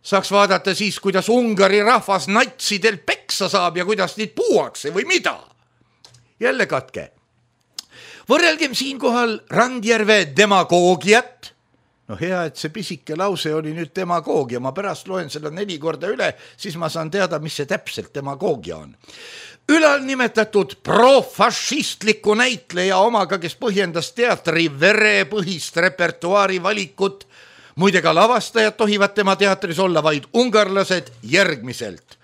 [SPEAKER 3] saaks vaadata siis, kuidas Ungari rahvas natsidel peksa saab ja kuidas neid puuakse või mida. Jälle katke. Võrrelgem siinkohal Randjärve demagoogiat. No hea, et see pisike lause oli nüüd demagoogia. Ma pärast loen selle 4 korda üle, siis ma saan teada, mis see täpselt demagoogia on. Ülal nimetatud profašistliku näitleja omaga, kes põhjendas teatri verepõhist repertuaari valikut, muide ka lavastajad tohivad tema teatris olla vaid ungarlased järgmiselt.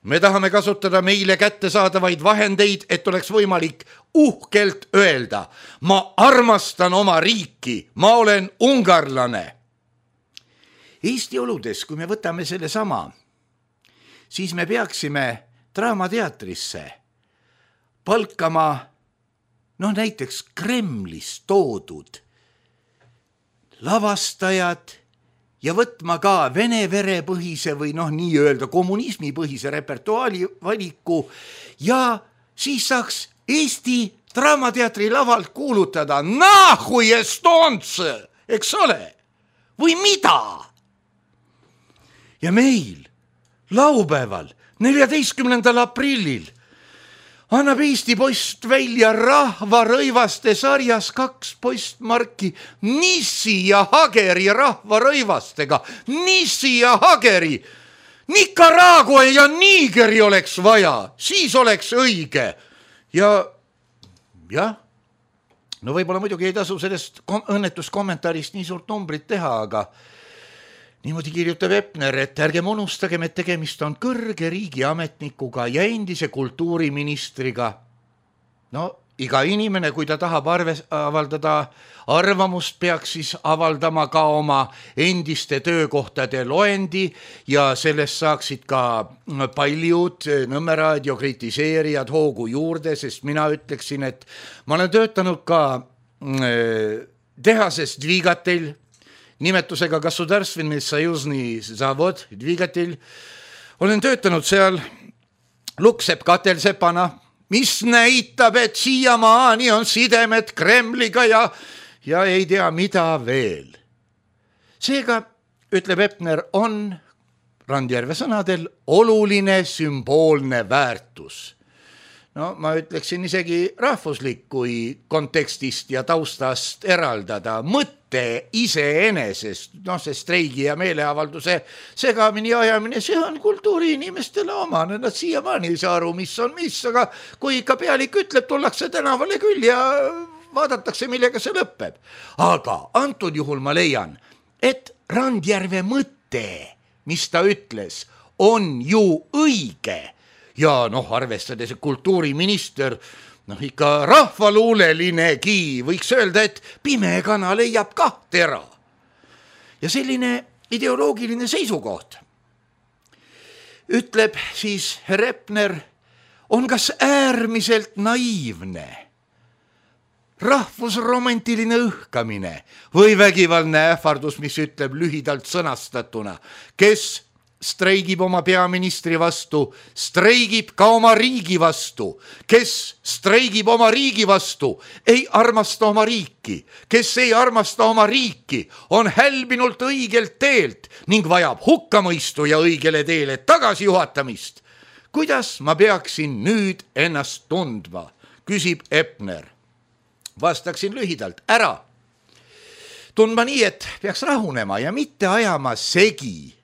[SPEAKER 3] Me tahame kasutada meile kättesaadavaid vahendeid, et oleks võimalik uhkelt öelda, ma armastan oma riiki, ma olen ungarlane. Eesti oludes, kui me võtame selle sama, siis me peaksime Draamateatrisse palkama näiteks Kremlis toodud lavastajad ja võtma ka vene verepõhise või nii-öelda kommunismipõhise repertuaali valiku ja siis saaks Eesti Draamateatri lavalt kuulutada nahui estonce, eks ole, või mida? Ja meil laupäeval 14. aprillil annab Eesti Post välja rahvarõivaste sarjas 2 postmarki Nissi ja Hageri rahvarõivastega. Nissi ja Hageri, Nicaragua ja Nigeri oleks vaja, siis oleks õige. Ja no võib-olla muidugi ei tasu sellest õnnetuskommentarist nii suurt numbrit teha, aga niimoodi kirjutab Epner, et ärgem unustagem, et tegemist on kõrge riigiametnikuga ja endise kultuuriministriga. No iga inimene, kui ta tahab avaldada arvamust, peaks siis avaldama ka oma endiste töökohtade loendi ja sellest saaksid ka paljud Nõmme raadio kritiseerijad hoogu juurde, sest mina ütleksin, et ma olen töötanud ka tehases Dvigatel, nimetusega Gasudarstvenny Sojuzny Zavod Dvigatil. Olen töötanud seal Luksepp katelsepana, mis näitab, et siiamaani on sidemed Kremliga ja ei tea mida veel. Seega, ütleb Epner, on Randjärve sõnadel oluline sümboolne väärtus. No ma ütleksin isegi rahvuslik, kui kontekstist ja taustast eraldada mõtte iseenesest, see streigi ja meeleavalduse segamini ajamine, see on kultuuriinimestele omane, nad siiamaani ei saa aru, mis on mis, aga kui ikka pealik ütleb, tullakse tänavale küll ja vaadatakse, millega see lõpeb. Aga antud juhul ma leian, et Randjärve mõte, mis ta ütles, on ju õige. Ja arvestades kultuuriminister, ikka rahvaluulelinegi, võiks öelda, et pime kana leiab ka tera. Ja selline ideoloogiline seisukoht, ütleb siis herr Epner, on kas äärmiselt naiivne, rahvusromantiline õhkamine või vägivaldne ähvardus, mis ütleb lühidalt sõnastatuna, kes streigib oma peaministri vastu, streigib ka oma riigi vastu. Kes streigib oma riigi vastu, ei armasta oma riiki. Kes ei armasta oma riiki, on hälbinult õigelt teelt ning vajab hukkamõistu ja õigele teele tagasijuhatamist. Kuidas ma peaksin nüüd ennast tundma, küsib Epner. Vastaksin lühidalt, ära. Tundma nii, et peaks rahunema ja mitte ajama segi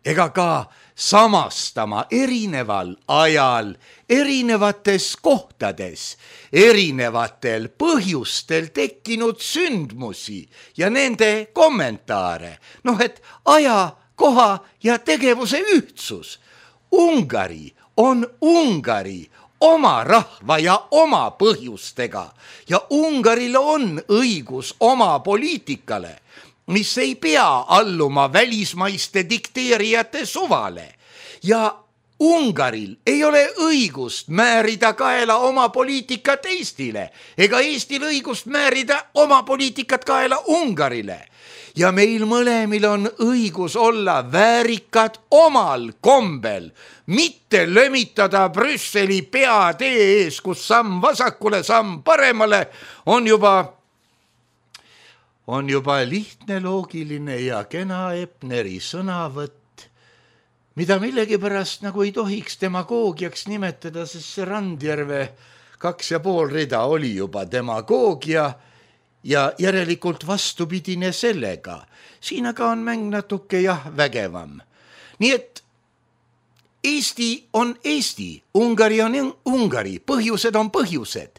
[SPEAKER 3] ega ka samastama erineval ajal, erinevates kohtades, erinevatel põhjustel tekkinud sündmusi ja nende kommentaare. Et aja, koha ja tegevuse ühtsus. Ungari on Ungari oma rahva ja oma põhjustega ja Ungaril on õigus oma poliitikale, mis ei pea alluma välismaiste dikteerijate suvale ja Ungaril ei ole õigust määrida kaela oma poliitikat Eestile ega Eestil õigust määrida oma poliitikat kaela Ungarile. Ja meil mõlemil on õigus olla väärikad omal kombel, mitte lömitada Brüsseli peatee ees, kus samm vasakule, samm paremale on juba lihtne, loogiline ja kena Epneri sõnavõtt, mida millegipärast nagu ei tohiks demagoogiaks nimetada, sest see Randjärve 2,5 rida oli juba demagoogia ja järelikult vastupidine sellega. Siin aga on mäng natuke vägevam. Nii et Eesti on Eesti, Ungari on Ungari, põhjused on põhjused.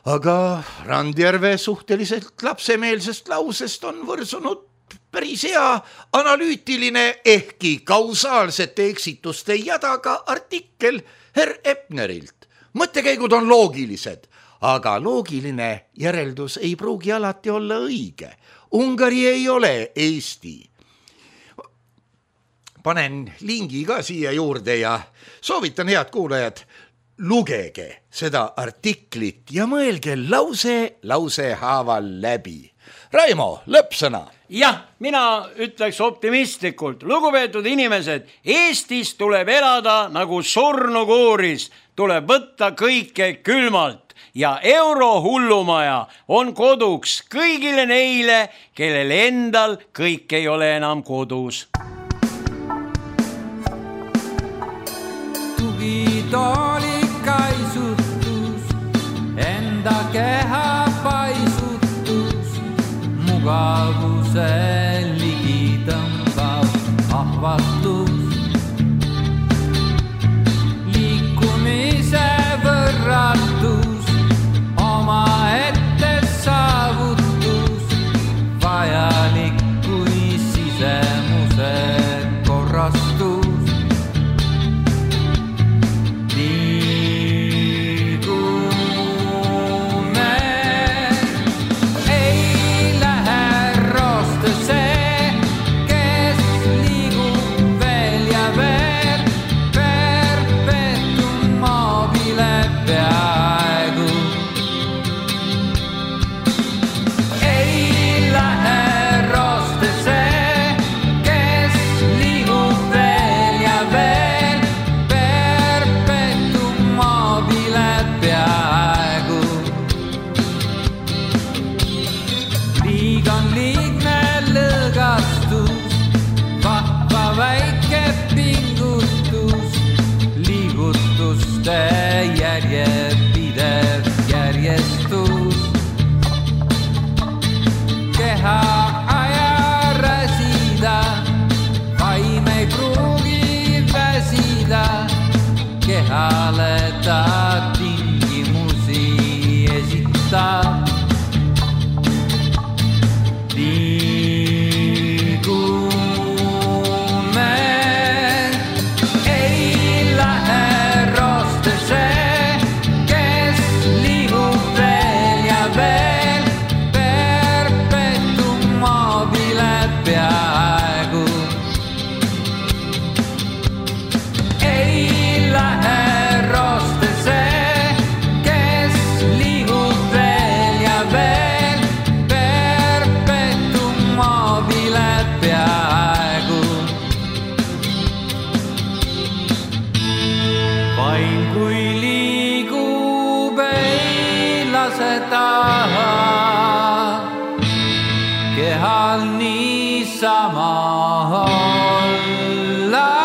[SPEAKER 3] Aga Randjärve suhteliselt lapsemeelsest lausest on võrsunud päris hea analüütiline ehkki kausaalsete eksituste jadaga artikkel herr Epnerilt. Mõttekäigud on loogilised, aga loogiline järeldus ei pruugi alati olla õige. Ungari ei ole Eesti. Panen lingi ka siia juurde ja soovitan, head kuulajad, lugege seda artiklit ja mõelge lause haaval läbi. Raimo, lõppsõna.
[SPEAKER 4] Jah, mina ütleks optimistlikult. Lugupeetud inimesed, Eestis tuleb elada nagu surnukooris, tuleb võtta kõike külmalt ja eurohullumaja on koduks kõigile neile, kellel endal kõik ei ole enam kodus.
[SPEAKER 5] Tugitoolikaisutus, enda keha paisutus, mugavuse ligitõmbav ahvatlus, liikumise võrratus, oma ette saavutus, vajalik kui sisemuse korrastus. Liigume järjepidev järjestus. Keha aja räsida, vaim ei pruugi väsida. Kehale ta tingimusi esitab. Kehal niisama olla.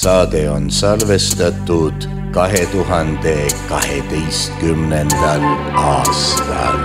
[SPEAKER 3] Saade on salvestatud 2012. aastal.